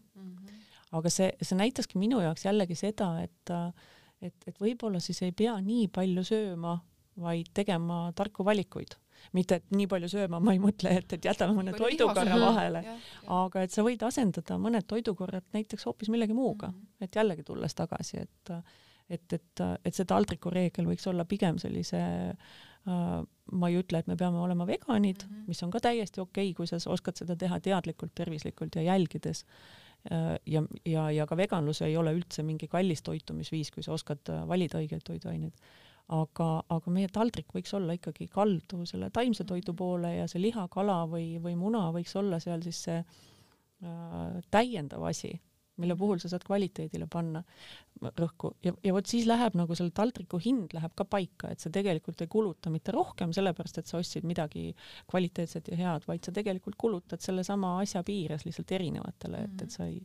Aga see näitaski minu jaoks jällegi seda, et võib-olla siis ei pea nii palju sööma, vaid tegema tarku valikuid. Mitte, et nii palju sööma, ma ei mõtle, et jätame mõne toidukorra vahele, aga et sa võid asendada mõned toidukorrad näiteks hoopis millegi muuga, et jällegi tulles tagasi, et see taldriku reegel võiks olla pigem sellise, ma ei ütle, et me peame olema veganid, mis on ka täiesti okei, kui sa oskad seda teha teadlikult, tervislikult ja jälgides. Ja ka veganlus ei ole üldse mingi kallis toitumisviis, kui sa oskad valida õigeid toiduaineid. Aga meie taldrik võiks olla ikkagi kaldu selle taimse toidu poole ja see liha, kala või muna võiks olla seal siis see täiendav asi, mille puhul sa saad kvaliteedile panna rõhku ja vot siis läheb nagu selle taldriku hind läheb ka paika, et sa tegelikult ei kuluta mitte rohkem sellepärast, et sa ostsid midagi kvaliteetset ja head, vaid sa tegelikult kulutad selle sama asja piires lihtsalt erinevatele, et sa ei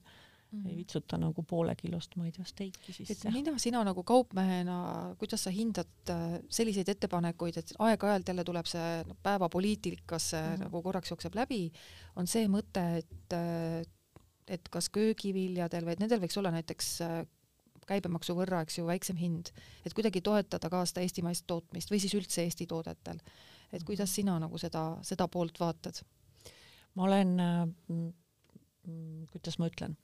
vitsuta nagu poole kilost, ma ei tea, steiki sisse. Mida sina nagu kaupmehena, kuidas sa hindad selliseid ettepanekuid, et aeg-ajalt jälle tuleb see päevapoliitikasse nagu korraks jookseb läbi, on see mõte, et kas köögiviljadel või et nendel võiks olla näiteks käibemaksu võrra, eks ju, väiksem hind, et kuidagi toetada ka seda eestimaist tootmist või siis üldse Eesti toodetel. Et kuidas sina nagu seda poolt vaatad? Ma olen, kuidas ma ütlen,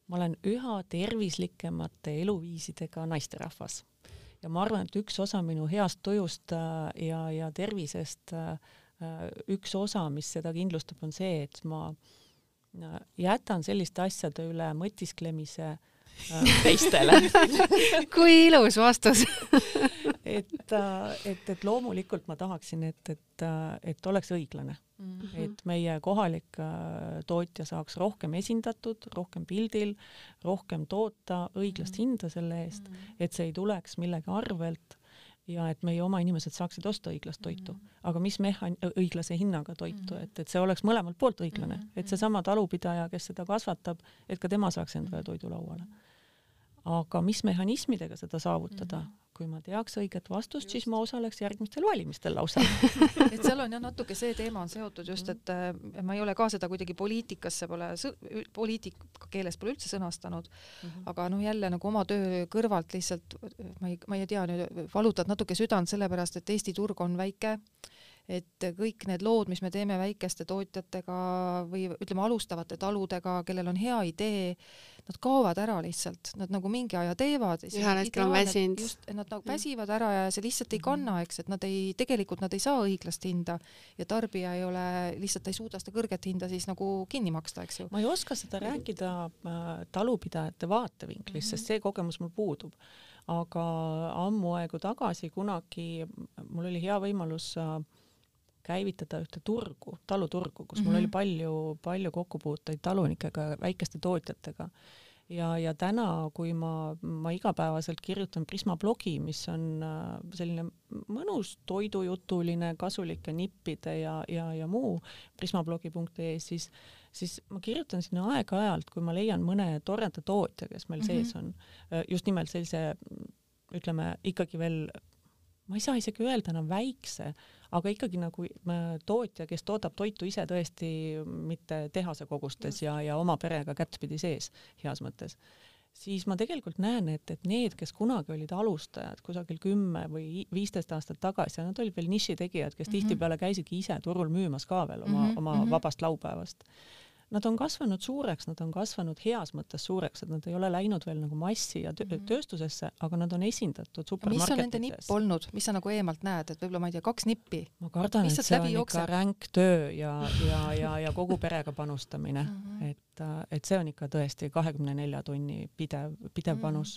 ma olen üha tervislikemate eluviisidega naisterahvas. Ja ma arvan, et üks osa minu heast tujust ja tervisest, üks osa, mis seda kindlustab, on see, et ma jätan selliste asjade üle mõtisklemise teistele. Kui ilus vastus. et loomulikult ma tahaksin, et oleks õiglane. Et meie kohalik tootja saaks rohkem esindatud, rohkem pildil, rohkem toota õiglast hinda selle eest, et see ei tuleks millegi arvelt ja et meie oma inimesed saaksid osta õiglast toitu. Aga mis õiglase hinnaga toitu, et see oleks mõlemalt poolt õiglane, et see sama talupidaja, kes seda kasvatab, et ka tema saaks endale toidu lauale. Aga mis mehhanismidega seda saavutada? Kui ma teaks õiget vastust, siis ma osaleks järgmistel valimistel lausa. Et seal on jah natuke see teema on seotud just, et ma ei ole ka seda kuidagi poliitikasse poliitika keeles pole üldse sõnastanud, aga jälle nagu oma töö kõrvalt lihtsalt, ma ei tea, valutad natuke südant sellepärast, et Eesti turg on väike, et kõik need lood, mis me teeme väikeste tootjatega või ütleme alustavate taludega, kellel on hea idee, nad kaovad ära lihtsalt, nad nagu mingi aja teevad. Ühel hetkel on väsinud. Nad nagu väsivad ära ja see lihtsalt ei kanna, eks, et tegelikult nad ei saa õiglast hinda ja tarbija ei ole, lihtsalt ei suuda seda kõrget hinda siis nagu kinni maksta, eks ju. Ma ei oska seda rääkida talupidajate vaatevinklist, sest see kogemus mul puudub. Aga ammu aegu tagasi kunagi mul oli hea võimalus käivitada ühte turgu, taluturgu, kus mul oli palju kokkupuuteid talunikega, väikeste tootjatega. Ja täna, kui ma igapäevaselt kirjutan Prisma blogi, mis on selline mõnus toidujutuline, kasulike nippide ja muu prismablogi.ee, siis ma kirjutan sinna aeg-ajalt, kui ma leian mõne toreda tootja, kes meil sees on, just nimelt sellise, ütleme, ikkagi veel, ma ei saa isegi öelda enam väikse, aga ikkagi nagu tootja, kes toodab toitu ise tõesti mitte tehase kogustes ja oma perega kättpidi sees, heas mõttes, siis ma tegelikult näen, et need, kes kunagi olid alustajad kusagil 10 või 15 aastat tagasi, nad olid veel nišitegijad, kes tihtipeale käisidki ise turul müümas ka veel oma vabast laupäevast. Nad on kasvanud suureks, nad on kasvanud heas mõttes suureks, et nad ei ole läinud veel nagu massi ja tööstusesse, aga nad on esindatud supermarketides. Mis on nende nipp olnud? Mis sa nagu eemalt näed? Et võib-olla, ma ei tea, 2 nippi? Ma kardan, et see on ikka ränk töö ja kogu perega panustamine. Et see on ikka tõesti 24 tunni pidev panus.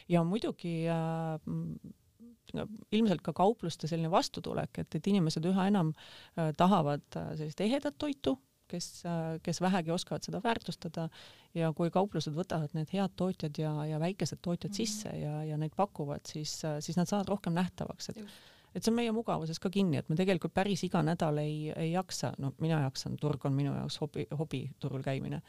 Ja muidugi ilmselt ka kaupluste selline vastutulek, et inimesed üha enam tahavad sellist ehedat toitu, kes vähegi oskavad seda väärtustada ja kui kauplused võtavad need head tootjad ja väikesed tootjad sisse ja neid pakuvad, siis nad saavad rohkem nähtavaks. Et see on meie mugavuses ka kinni, et me tegelikult päris iga nädal ei jaksa, mina jaksan, turg on minu jaoks hobi turul käimine,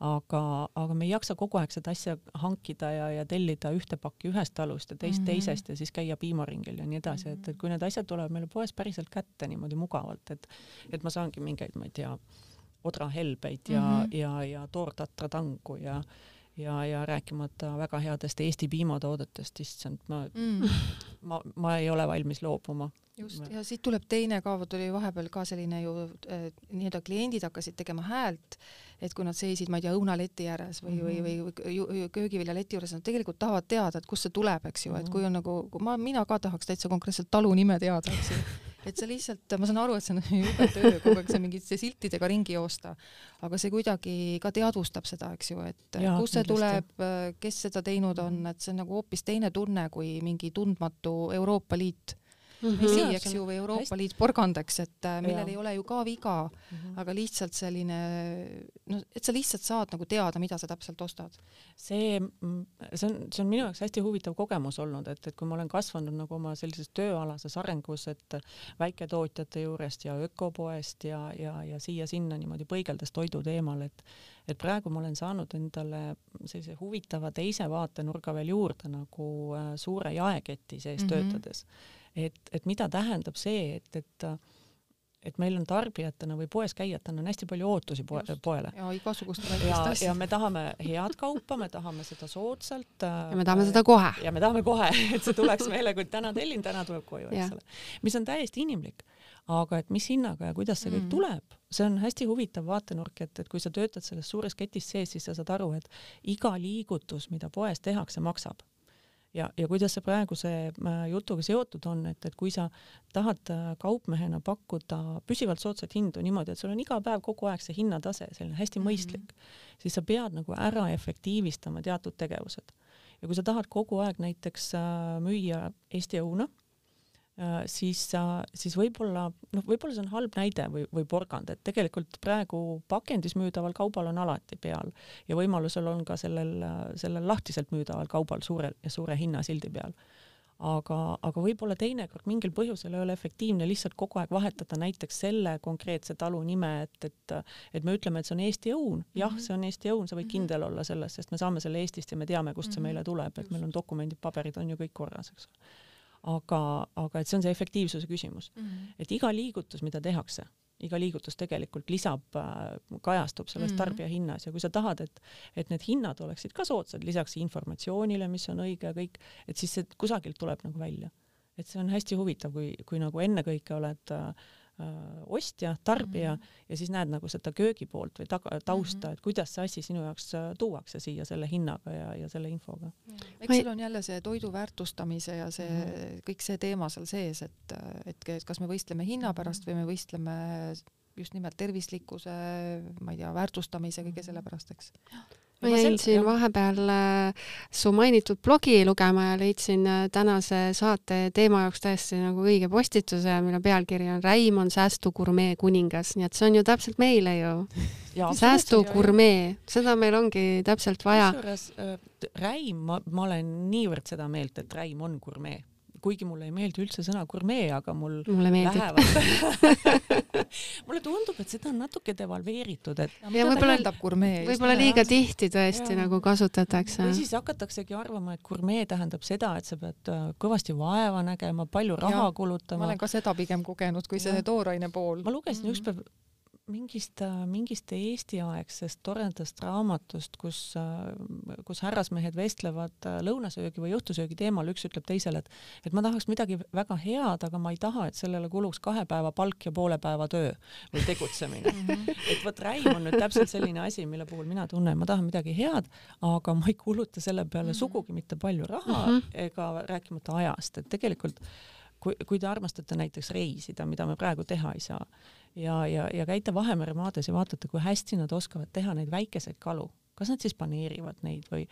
aga me ei jaksa kogu aeg seda asja hankida ja tellida ühte pakki ühest talust ja teisest ja siis käia piimaringil ja nii edasi, et kui need asjad tulevad meile poes päriselt kätte niimoodi mugavalt, et ma saangi mingeid, ma ei tea, odrahelbeid ja toortatra tangu ja rääkimata väga headest Eesti piimatoodetest, issand, ma ei ole valmis loobuma. Just, ja siit tuleb teine ka, tuli vahepeal ka selline ju nii-öelda kliendid hakkasid tegema häält, et kui nad seisid, ma ei tea, õunaleti ääres või köögiviljaleti juures, nad tegelikult tahavad teada, et kust see tuleb, eks ju, et kui on nagu, mina ka tahaks täitsa konkreetselt talu nime teada, eks ju. Et see lihtsalt, ma saan aru, et see on jube töö, kogu aeg see mingite siltidega ringi joosta, aga see kuidagi ka teadvustab seda, eks ju, et kus see tuleb, kes seda teinud on, et see on nagu hoopis teine tunne kui mingi tundmatu Euroopa Liit. vesi, eks ju, või Euroopa Liit porgandeks, et millel ei ole ju ka viga, aga lihtsalt selline, no, et sa lihtsalt saad nagu teada, mida sa täpselt ostad. See on minu jaoks hästi huvitav kogemus olnud, et kui ma olen kasvanud nagu oma sellises tööalases arengus, et väiketootjate juurest ja ökopoest ja siia-sinna niimoodi põigeldes toidu teemal, et praegu ma olen saanud endale sellise huvitava teise vaatenurga veel juurde nagu suure jaeketi sees töötades. Et mida tähendab see, et meil on tarbijatena või poes käijatena on hästi palju ootusi poele. Ja igasugust väikest asja. Ja me tahame head kaupa, me tahame seda soodsalt. Ja me tahame seda kohe. Ja me tahame kohe, et see tuleks meile, kui täna tellin, täna tuleb koju, eks ole. Mis on täiesti inimlik. Aga et mis hinnaga ja kuidas see kõik tuleb, see on hästi huvitav vaatenurk, et kui sa töötad selles suures ketis sees, siis sa saad aru, et iga liigutus, mida poes tehakse, maksab. Ja kuidas see praeguse jutuga seotud on, et kui sa tahad kaupmehena pakkuda püsivalt soodsat hindu niimoodi, et sul on iga päev kogu aeg see hinnatase, selline hästi mõistlik, siis sa pead nagu ära efektiivistama teatud tegevused. Ja kui sa tahad kogu aeg näiteks müüa Eesti õuna, siis võib-olla see on halb näide või porgand, et tegelikult praegu pakendis müüdaval kaubal on alati peal ja võimalusel on ka sellel lahtiselt müüdaval kaubal suure hinnasildi peal. Aga võib-olla teinekord mingil põhjusel ei ole efektiivne lihtsalt kogu aeg vahetada näiteks selle konkreetse talu nime, et me ütleme, et see on Eesti õun. Jah, see on Eesti õun, sa võid kindel olla selles, sest me saame selle Eestist ja me teame, kust see meile tuleb, et meil on dokumendid, paberid on ju kõik korras, eks ole. Aga et see on see efektiivsuse küsimus. Et iga liigutus, mida tehakse, iga liigutus tegelikult kajastub sellest tarbija hinnas ja kui sa tahad, et need hinnad oleksid ka soodsad lisaks informatsioonile, mis on õige ja kõik, et siis see kusagilt tuleb nagu välja. Et see on hästi huvitav, kui nagu ennekõike oled ostja, tarbija ja siis näed nagu seda köögipoolt või tausta, et kuidas see asi sinu jaoks tuuakse siia selle hinnaga ja selle infoga. Eks seal on jälle see toidu väärtustamise ja see kõik see teema seal sees, et kas me võistleme hinna pärast või me võistleme just nimelt tervislikkuse, ma ei tea, väärtustamise kõige selle pärast, eks. Ma jäin siin vahepeal su mainitud blogi lugema ja leidsin tänase saate teema jaoks täiesti nagu õige postituse, mille pealkiri on Räim on säästugurmee kuningas, nii et see on ju täpselt meile ju. Säästugurmee, seda meil ongi täpselt vaja. Räim, ma olen niivõrd seda meelt, et Räim on gurmee. Kuigi mulle ei meeldi üldse sõna gurmee, aga mulle lähevad. Mulle tundub, et seda on natuke devalveeritud. Ja võib-olla liiga tihti tõesti nagu kasutatakse. Või siis hakataksegi arvama, et gurmee tähendab seda, et sa pead kõvasti vaeva nägema, palju raha kulutama. Ma olen ka seda pigem kogenud, kui see tooraine pool. Ma lugesin ükspäev mingist Eesti-aegsest toredast raamatust, kus härrasmehed vestlevad lõunasöögi või õhtusöögi teemal, üks ütleb teisele, et ma tahaks midagi väga head, aga ma ei taha, et sellele kuluks 2 päeva palk ja poole päeva töö või tegutsemine. Et võt Räim on nüüd täpselt selline asi, mille puhul mina tunnen, ma tahan midagi head, aga ma ei kuluta selle peale sugugi mitte palju raha ega rääkimata ajast, et tegelikult kui te armastate näiteks reisida, mida me praegu teha ei saa, ja käite Vahemere maades ja vaatate, kui hästi nad oskavad teha neid väikeseid kalu. Kas nad siis paneerivad neid või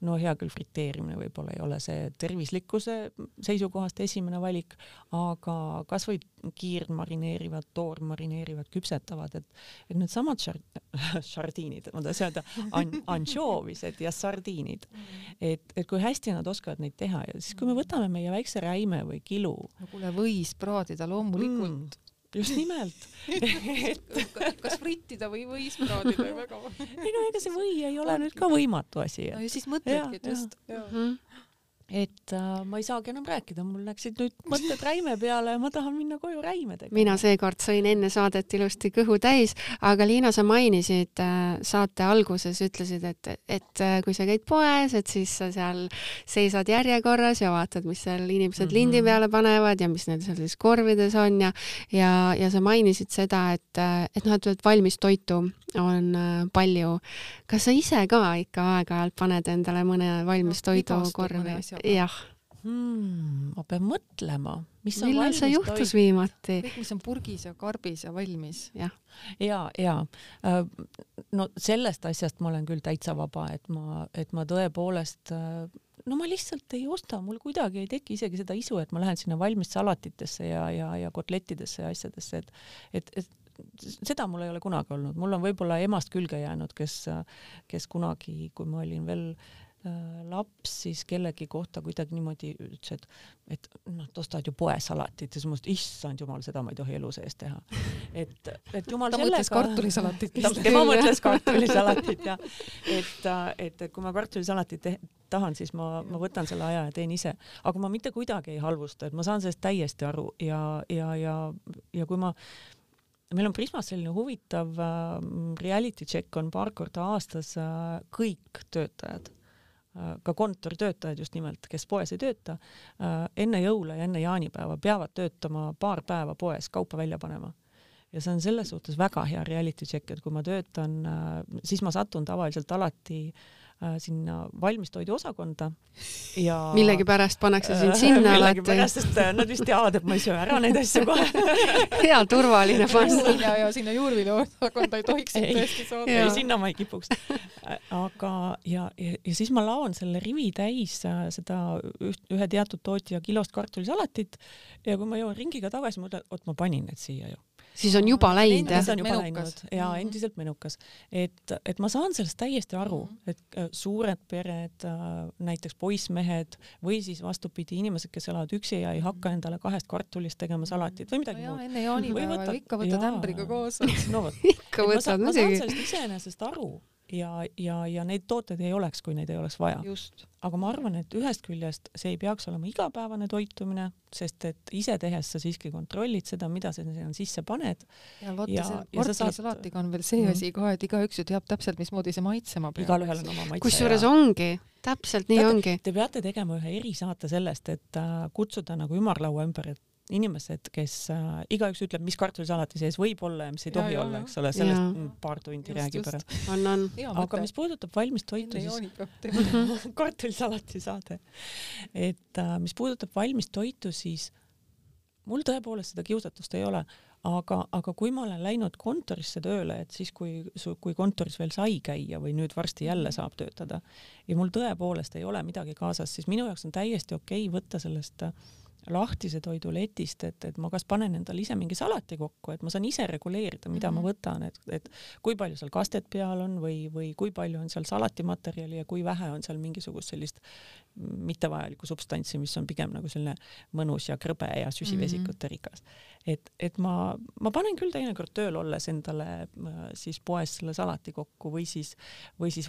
no hea küll friteerimine võib-olla ei ole see tervislikkuse seisukohast esimene valik, aga kas või kiirmarineerivad, toormarineerivad, küpsetavad, et need samad sardiinid, ma tahan öelda, anšoovised ja sardiinid, et kui hästi nad oskavad neid teha ja siis kui me võtame meie väikse räime või kilu. No kuule, võis praadida loomulikult. Just nimelt. Kas frittida või võis praadida väga? Ei no ega see või ei ole nüüd ka võimatu asi. No ja siis mõtledki just. Et ma ei saagi enam rääkida, mul läksid nüüd mõtted räime peale ja ma tahan minna koju räime tegema. Mina seekord sõin enne saadet ilusti kõhu täis, aga Liina, sa mainisid saate alguses, ütlesid, et kui sa käid poes, et siis sa seal seisad järjekorras ja vaatad, mis seal inimesed lindi peale panevad ja mis neil seal siis korvides on ja sa mainisid seda, et valmis toitu on palju. Kas sa ise ka ikka aeg-ajalt paned endale mõne valmis toidu korvi? Jah. Ma pean mõtlema, mis on millal valmis see juhtus viimati? Kõik, mis on purgis ja karbis ja valmis. Ja. No sellest asjast ma olen küll täitsa vaba, et ma tõepoolest no ma lihtsalt ei osta, mul kuidagi ei teki isegi seda isu, et ma lähen sinna valmis salatitesse ja kotlettidesse ja asjadesse, et seda mul ei ole kunagi olnud. Mul on võib-olla emast külge jäänud, kes kunagi, kui ma olin veel laps, siis kellegi kohta kuidagi niimoodi ütles, et ostad ju poesalatit ja siis mõtlesin, issand jumal, seda ma ei tohi elu sees teha. Et jumal ta sellega... mõtles kartulisalatit. Tema mõtles kartulisalatit ja et kui ma kartulisalatit tahan, siis ma võtan selle aja ja teen ise. Aga ma mitte kuidagi ei halvusta, et ma saan sellest täiesti aru ja kui meil on Prismas selline huvitav reality check on paar korda aastas kõik töötajad, ka kontoritöötajad just nimelt, kes poes ei tööta, enne jõule ja enne jaanipäeva peavad töötama paar päeva poes kaupa välja panema. Ja see on selles suhtes väga hea reality check, et kui ma töötan, siis ma satun tavaliselt alati sinna valmistoidu osakonda ja millegi pärast pannakse sind sinna alati. Millegi pärast, sest nad vist teavad, et ma ei söö ära neid asju kohe. Hea turvaline panna. Ja sinna juurvilja osakonda ei tohiks tõesti saada. Ei, sinna ma ei kipuks. Aga ja siis ma laon selle rivi täis seda ühe teatud tootja kilost kartulisalatit ja kui ma jõuan ringiga tagasi, ma ütlen, ma panin need siia ju. Siis on juba läinud. Siis on juba läinud ja endiselt menukas. Et ma saan sellest täiesti aru, et suured pered, näiteks poissmehed või siis vastupidi inimesed, kes elavad üksi ja ei hakka endale 2 kartulist tegema salatit või midagi muud. Enne jaanipäeva ikka võtad ämbriga koos. No võt. Ikka võtad. Ma saan sellest iseenesest aru ja neid tooteid ei oleks, kui neid ei oleks vaja. Just. Aga ma arvan, et ühest küljest see ei peaks olema igapäevane toitumine, sest et ise tehes sa siiski kontrollid seda, mida sa sisse paned. Ja vaata, see kartulisalaatiga on veel see asi ka, et igaüks ju teab täpselt, mismoodi see maitsema peab. Igalühel on oma maitse. Kusjuures ongi, täpselt nii ongi. Te peate tegema ühe erisaate sellest, et kutsuda nagu ümarlaua ümber, et inimesed, kes igaüks ütleb, mis kartulisalati sees võib olla ja mis ei tohi olla, eks ole, sellest paar tundi räägib ära. Aga mis puudutab valmist toitu, siis kartulisalati saade. Et mis puudutab valmist toitu, siis mul tõepoolest seda kiusatust ei ole, aga kui ma olen läinud kontorisse tööle, et siis kui kontoris veel sai käia või nüüd varsti jälle saab töötada ja mul tõepoolest ei ole midagi kaasas, siis minu jaoks on täiesti okei võtta sellest lahtise toidu letist, et ma kas panen endale ise mingi salati kokku, et ma saan ise reguleerida, mida ma võtan, et kui palju seal kastet peal on või kui palju on seal salatimaterjali ja kui vähe on seal mingisugust sellist mittevajalikku substantsi, mis on pigem nagu selline mõnus ja krõbe ja süsivesikute rikas. Et ma panen küll teinekord tööl olles endale siis poes selle salati kokku või siis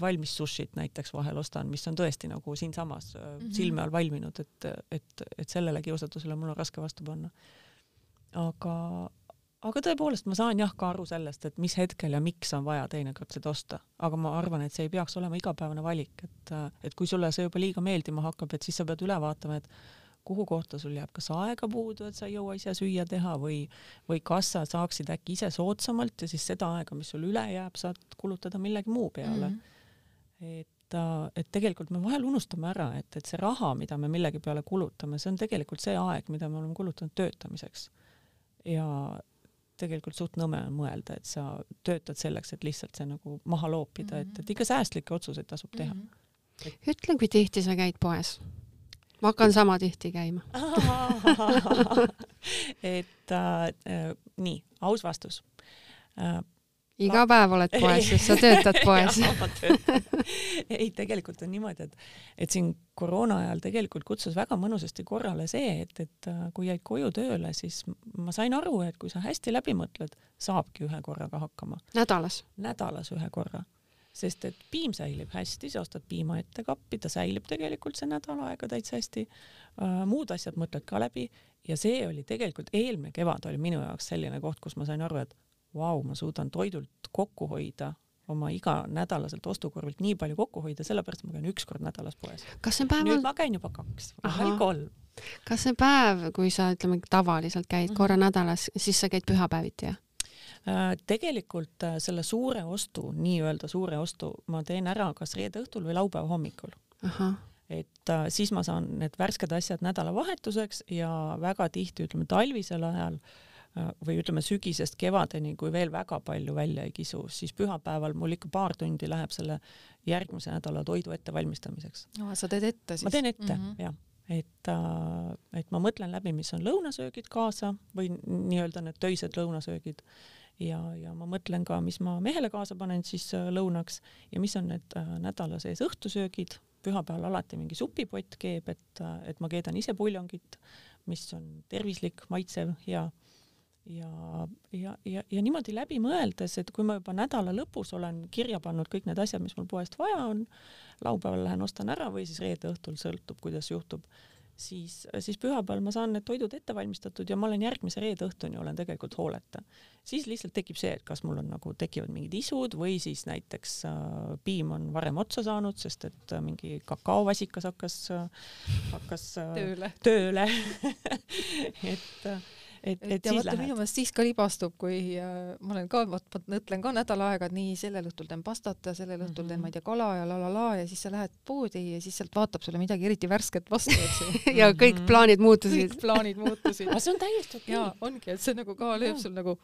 valmis sushit näiteks vahel ostan, mis on tõesti nagu siinsamas silme all valminud, et sellele kiusatusele mul on raske vastu panna. Aga tõepoolest ma saan ka aru sellest, et mis hetkel ja miks on vaja teinekord seda osta. Aga ma arvan, et see ei peaks olema igapäevane valik, et kui sulle see juba liiga meeldima hakkab, et siis sa pead üle vaatama, et kuhu kohta sul jääb kas aega puudu, et sa ei jõua ise süüa teha või kas sa saaksid äkki ise soodsamalt ja siis seda aega, mis sul üle jääb, saad kulutada millegi muu peale. Et tegelikult me vahel unustame ära, et see raha, mida me millegi peale kulutame, see on tegelikult see aeg, mida me oleme kulutanud töötamiseks. Ja tegelikult suht nõme on mõelda, et sa töötad selleks, et lihtsalt see nagu maha loopida, et ikka säästlikke otsuseid tasub teha. Ütle, kui tihti sa käid poes? Ma hakkan sama tihti käima. Nii, aus vastus. Iga päev oled poes, sest sa töötad poes. Ei, tegelikult on niimoodi, et siin koroona ajal tegelikult kutsus väga mõnusasti korrale see, et kui jäid koju tööle, siis ma sain aru, et kui sa hästi läbi mõtled, saabki ühe korraga hakkama. Nädalas? Nädalas ühe korra. Sest et piim säilib hästi, sa ostad piima ette kappi, ta säilib tegelikult see nädal aega täitsa hästi. Muud asjad mõtled ka läbi ja see oli tegelikult eelmine kevad oli minu jaoks selline koht, kus ma sain aru, et ma suudan toidult kokku hoida, oma iga nädalaselt ostukorvilt nii palju kokku hoida, sellepärast ma käin 1 kord nädalas poes. Nüüd ma käin juba 2 või 3. Kas see päev, kui sa ütleme tavaliselt käid korra nädalas, siis sa käid pühapäeviti, jah? Tegelikult selle nii-öelda suure ostu ma teen ära kas reede õhtul või laupäeva hommikul. Et siis ma saan need värsked asjad nädalavahetuseks ja väga tihti, ütleme talvisel ajal või ütleme sügisest kevadeni, kui veel väga palju välja ei kisu, siis pühapäeval mul ikka paar tundi läheb selle järgmise nädala toidu ettevalmistamiseks. No, sa teed ette siis? Ma teen ette, jah. Et ma mõtlen läbi, mis on lõunasöögid kaasa või nii-öelda need töised lõunasöögid ja ma mõtlen ka, mis ma mehele kaasa panen siis lõunaks ja mis on need nädala sees õhtusöögid. Pühapäeval alati mingi supipott keeb, et ma keedan ise puljongit, mis on tervislik, maitsev, hea. Ja niimoodi läbi mõeldes, et kui ma juba nädala lõpus olen kirja pannud kõik need asjad, mis mul poest vaja on, laupäeval lähen ostan ära või siis reede õhtul sõltub, kuidas juhtub, siis pühapäeval ma saan need toidud ette valmistatud ja ma olen järgmise reede õhtuni olen tegelikult hooleta. Siis lihtsalt tekib see, et kas mul on nagu tekivad mingid isud või siis näiteks piim on varem otsa saanud, sest et mingi kakaovasikas hakkas tööle. Et ja siis vaata, minu meelest siis ka libastub, kui ma olen ka, mõtlen ka nädal aega, et nii sellel õhtul teen pastat ja sellel õhtul teen, ma ei tea, kala ja lalala ja siis sa lähed poodi ja siis sealt vaatab sulle midagi eriti värsket vastu, eks ja kõik plaanid muutusid. Aga see on täiesti okei. Ja ongi, et see nagu ka lööb sul nagu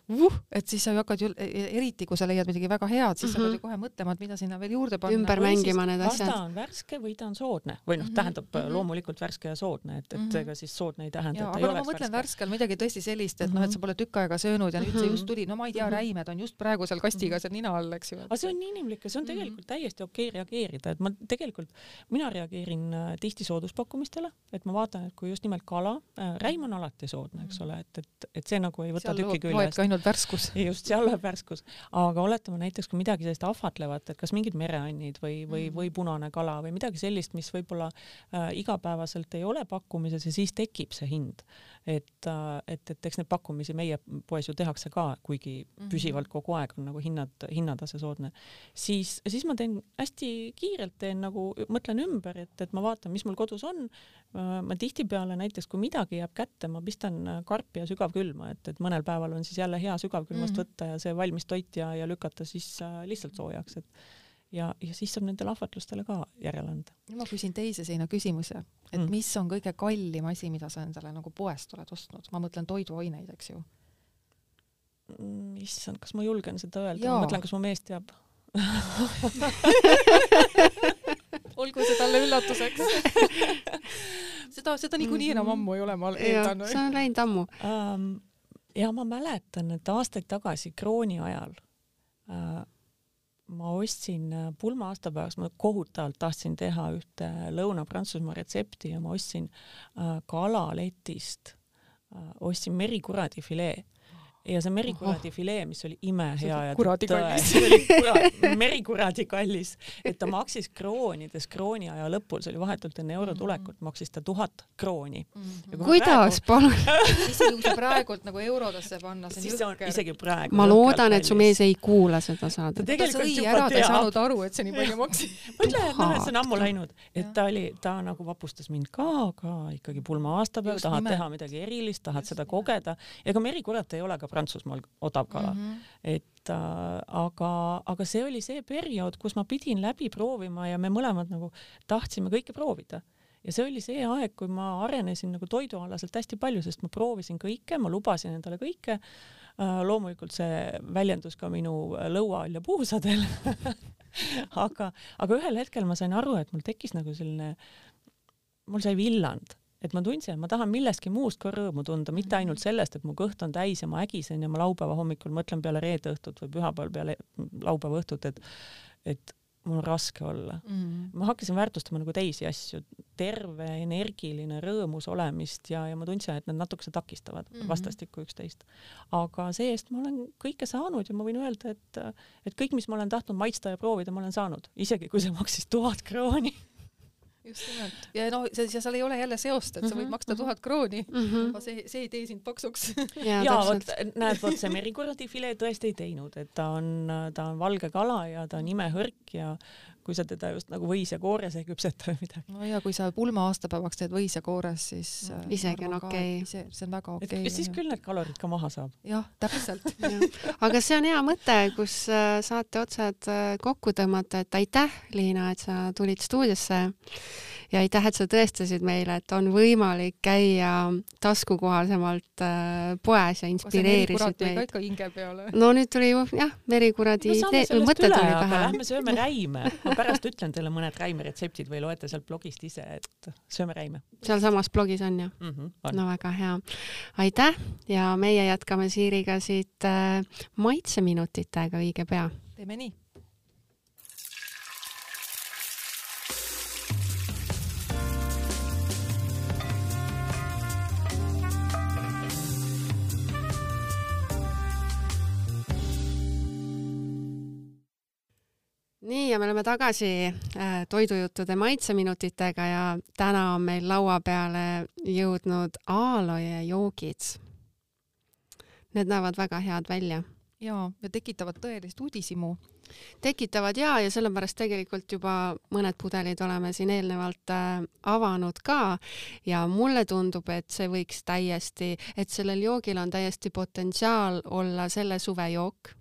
et siis sa hakkad ju, eriti kui sa leiad midagi väga head, siis sa pead ju kohe mõtlema, et mida sinna veel juurde panna. Ümber mängima need asjad. Kas ta on värske või ta on soodne? Või tähendab loomulikult värske ja soodne, et ega siis soodne ei tähenda, et ei oleks värske. Aga ma mõtlen värskel midagi tõesti sellist, et et sa pole tükk aega söönud ja nüüd see just tuli, no ma ei tea, räimed on just praegu seal kastiga seal nina all, eks ju. Aga see on inimlik ja see on tegelikult täiesti okei reageerida, et mina reageerin tihti sooduspakkumistele, et ma vaatan, et kui just nimelt kala, räim on alati soodne, eks ole, et see nagu ei võta tükki küljest. Seal loeb ka ainult värskus. Just, seal loeb värskus. Aga oletame näiteks, kui midagi sellist ahvatlevat, et kas mingid mereannid või punane kala või midagi sellist, mis võib-olla igapäevaselt ei ole pakkumises ja siis tekib see hind. Et eks need pakkumisi meie poes ju tehakse ka, kuigi püsivalt kogu aeg on nagu hinnatase soodne. Siis ma teen hästi kiirelt, mõtlen ümber, et ma vaatan, mis mul kodus on. Ma tihtipeale näiteks, kui midagi jääb kätte, ma pistan karpi ja sügavkülma, et mõnel päeval on siis jälle hea sügavkülmast võtta ja see valmis toit ja lükata siis lihtsalt soojaks, ja siis saab nendele ahvatlustele ka järele anda. Ma küsin teise seina küsimuse, et mis on kõige kallim asi, mida sa endale nagu poest oled ostnud? Ma mõtlen toiduaineid, eks ju. Issand, kas ma julgen seda öelda? Ma mõtlen, kas mu mees teab. Olgu see talle üllatuseks. Seda niikuinii enam ammu ei ole, ma eeldan. See on läinud ammu. Ja ma mäletan, et aastaid tagasi krooni ajal ma ostsin pulma aastapäevaks, ma kohutavalt tahtsin teha ühte Lõuna-Prantsusmaa retsepti ja ma ostsin kalaletist, ostsin merikuradi filee. Ja see merikuradi filee, mis oli imehea ja merikuradi kallis, et ta maksis kroonides krooni aja lõpul, see oli vahetult enne eurotulekut, maksis ta 1000 krooni. Kuidas, palun? Isegi kui sa praegult nagu eurodesse panna, see on jõkker. Isegi praegu. Ma loodan, et su mees ei kuula seda saada. Ta sõi ära, ta ei saanud aru, et see nii palju maksis. Mõtle, et see on ammu läinud. Et ta nagu vapustas mind ka ikkagi pulma aastapäev, tahad teha midagi erilist, tahad seda kogeda. Ega merikurat ei ole ka Prantsusmaal odav kala. Aga see oli see periood, kus ma pidin läbi proovima ja me mõlemad nagu tahtsime kõike proovida. Ja see oli see aeg, kui ma arenesin nagu toidualaselt hästi palju, sest ma proovisin kõike, ma lubasin endale kõike. Loomulikult see väljendus ka minu lõuaal ja puusadel. aga ühel hetkel ma sain aru, et mul tekkis nagu selline, mul sai villand. Et ma tundsin, et ma tahan millestki muust ka rõõmu tunda, mitte ainult sellest, et mu kõht on täis ja ma ägisen ja ma laupäeva hommikul mõtlen peale reede õhtut või pühapäeval peale laupäeva õhtut, et mul on raske olla. Ma hakkasin väärtustama nagu teisi asju, terve, energiline, rõõmus olemist ja ma tundsin, et nad natukese takistavad vastastikku üksteist. Aga see-eest ma olen kõike saanud ja ma võin öelda, et kõik, mis ma olen tahtnud maitsta ja proovida, ma olen saanud. Isegi kui see maksis 1000 krooni. Just nimelt. Ja seal ei ole jälle seost, et sa võid maksta 1000 krooni. See ei tee sind paksuks. Ja näed, see merikuradi filee tõesti ei teinud, et ta on valge kala ja ta on imehõrk ja kui sa teda just nagu võis ja koores ei küpseta või midagi. No ja kui sa pulma aastapäevaks teed võis ja koores, siis isegi on okei. See on väga okei. Et siis küll need kalorid ka maha saab. Jah, täpselt. Aga see on hea mõte, kus saate otsad kokku tõmmata, et aitäh, Liina, et sa tulid stuudiosse ja aitäh, et sa tõestasid meile, et on võimalik käia taskukohasemalt poes ja inspireerisid meid. Ikka hinge peale. No nüüd tuli ju merikuradi mõtted tuli pähe. Lähme sööme räime. Ma pärast ütlen teile mõned räimeretseptid või loete sealt blogist ise, et sööme räime. Seal samas blogis on ju? On. No väga hea. Aitäh ja meie jätkame Siiriga siit maitseminutitega õige pea. Teeme nii. Nii, ja me oleme tagasi toidujuttude maitseminutitega ja täna on meil laua peale jõudnud aaloe joogid. Need näevad väga head välja. Ja tekitavad tõelist uudisimu. Tekitavad ja sellepärast tegelikult juba mõned pudelid oleme siin eelnevalt avanud ka ja mulle tundub, et see võiks täiesti, et sellel joogil on täiesti potentsiaal olla selle suve jook.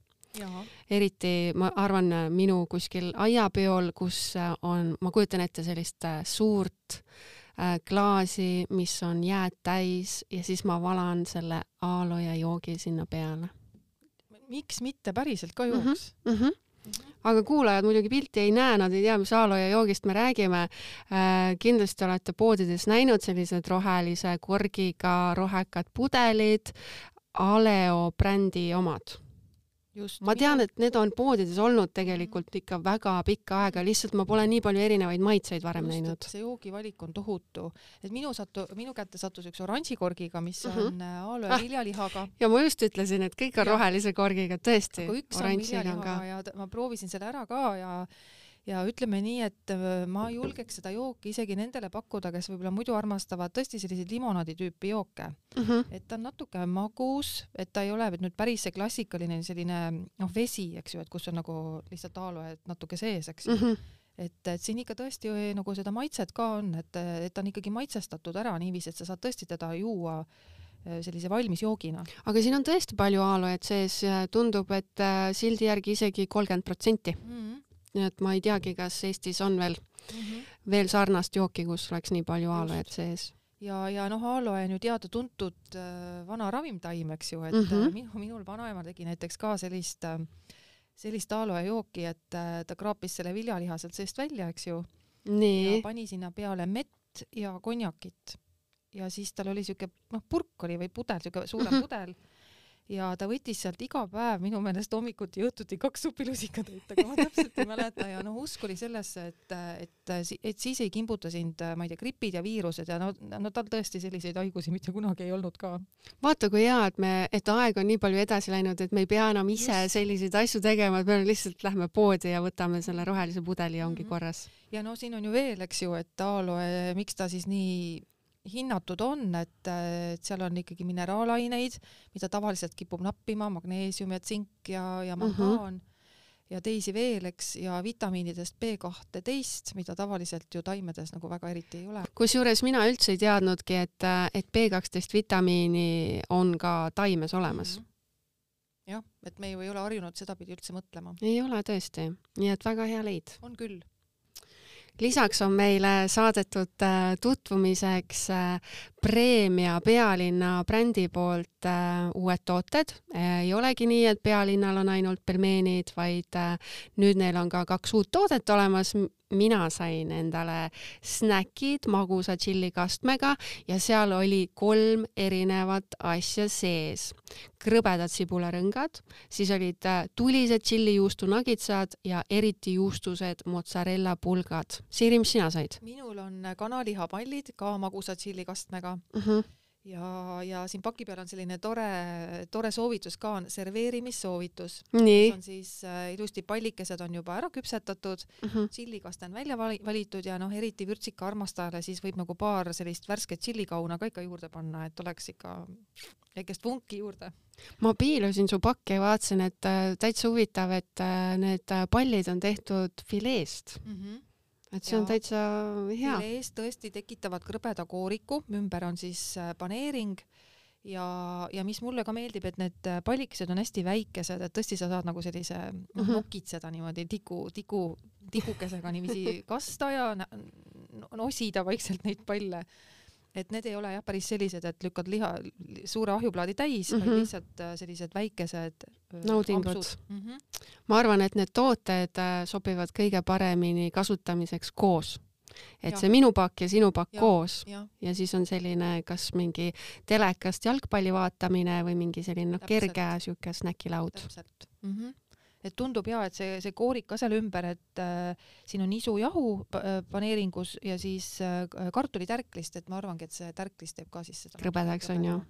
Eriti ma arvan minu kuskil aiapeol, kus on, ma kujutan ette sellist suurt klaasi, mis on jääd täis ja siis ma valan selle aaloe joogi sinna peale. Miks mitte päriselt ka jooks? Aga kuulajad muidugi pilti ei näe, nad ei tea, mis aaloe joogist me räägime. Kindlasti olete poodides näinud sellised rohelise korgiga rohekad pudelid, Aleo brändi omad. Ma tean, et need on poodides olnud tegelikult ikka väga pikka aega, lihtsalt ma pole nii palju erinevaid maitseid varem näinud. See joogivalik on tohutu. Et minu kätte sattus üks oranžikorgiga, mis on aaloe viljalihaga. Ja ma just ütlesin, et kõik on rohelise korgiga, tõesti. Aga üks on viljalihaga ja ma proovisin selle ära ka ja ütleme nii, et ma julgeks seda jooki isegi nendele pakkuda, kes võib-olla muidu armastavad tõesti selliseid limonaadi tüüpi jooke. Et ta on natuke magus, et ta ei ole nüüd päris see klassikaline selline vesi, eks ju, et kus on nagu lihtsalt aaloe natuke sees, eks ju. Et siin ikka tõesti nagu seda maitset ka on, et ta on ikkagi maitsestatud ära niiviisi, et sa saad tõesti teda juua sellise valmis joogina. Aga siin on tõesti palju aaloed sees, tundub, et sildi järgi isegi 30%. Nii et ma ei teagi, kas Eestis on veel sarnast jooki, kus oleks nii palju aaloed sees. Ja aaloe on ju teada-tuntud vana ravimtaim, eks ju, et minul vanaema tegi näiteks ka sellist aaloe jooki, et ta kraapis selle viljaliha sealt seest välja, eks ju. Ja pani sinna peale mett ja konjakit. Ja siis tal oli siuke, purk oli või pudel, siuke suurem pudel. Ja ta võttis sealt iga päev minu meelest hommikuti ja õhtuti 2 supilusikatäit, aga ma täpselt ei mäleta ja usk oli sellesse, et siis ei kimbuta sind, ma ei tea, gripid ja viirused ja tal tõesti selliseid haigusi mitte kunagi ei olnud ka. Vaata, kui hea, et aeg on nii palju edasi läinud, et me ei pea enam ise selliseid asju tegema, et me lihtsalt lähme poodi ja võtame selle rohelise pudeli ja ongi korras. Ja siin on ju veel, eks ju, et aaloe, miks ta siis nii hinnatud on, et seal on ikkagi mineraalaineid, mida tavaliselt kipub nappima, magneesium ja tsink ja mangaan ja teisi veel, eks, ja vitamiinidest B12, mida tavaliselt ju taimedes nagu väga eriti ei ole. Kusjuures mina üldse ei teadnudki, et B12 vitamiini on ka taimes olemas. Jah, et me ju ei ole harjunud seda pidi üldse mõtlema. Ei ole tõesti, nii et väga hea leid. On küll. Lisaks on meile saadetud tutvumiseks Preemia Pealinna brändi poolt uued tooted. Ei olegi nii, et Pealinnal on ainult pelmeenid, vaid nüüd neil on ka 2 uut toodet olemas. Mina sain endale snäkid magusa tšillikastmega ja seal oli 3 erinevat asja sees. Krõbedad sibularõngad, siis olid tulised tšillijuustu nagitsad ja eriti juustused mozzarella pulgad. Siiri, mis sina said? Minul on kanalihapallid ka magusa tšillikastmega. Ja siin paki peal on selline tore soovitus ka, on serveerimissoovitus. Nii. On siis ilusti pallikesed on juba ära küpsetatud, tšillikaste on välja valitud ja eriti vürtsika armastajale siis võib nagu paar sellist värsket tšillikauna ka ikka juurde panna, et oleks ikka väikest vunki juurde. Ma piilusin su pakke ja vaatasin, et täitsa huvitav, et need pallid on tehtud fileest. Et see on täitsa hea. Fileest tõesti tekitavad krõbeda kooriku, ümber on siis paneering ja mis mulle ka meeldib, et need pallikesed on hästi väikesed, et tõesti sa saad nagu sellise nokitseda niimoodi tikukesega niiviisi kasta ja nosida vaikselt neid palle. Et need ei ole jah päris sellised, et lükkad suure ahjuplaadi täis, vaid lihtsalt sellised väikesed naudingud. Ma arvan, et need tooted sobivad kõige paremini kasutamiseks koos. Et see minu pakk ja sinu pakk koos ja siis on selline kas mingi telekast jalgpalli vaatamine või mingi selline kerge siuke snäkilaud. Täpselt. Et tundub et see koorik ka seal ümber, et siin on isujahu paneeringus ja siis kartulitärklist, et ma arvangi, et see tärklist teeb ka siis seda. Krõbedaks on ju.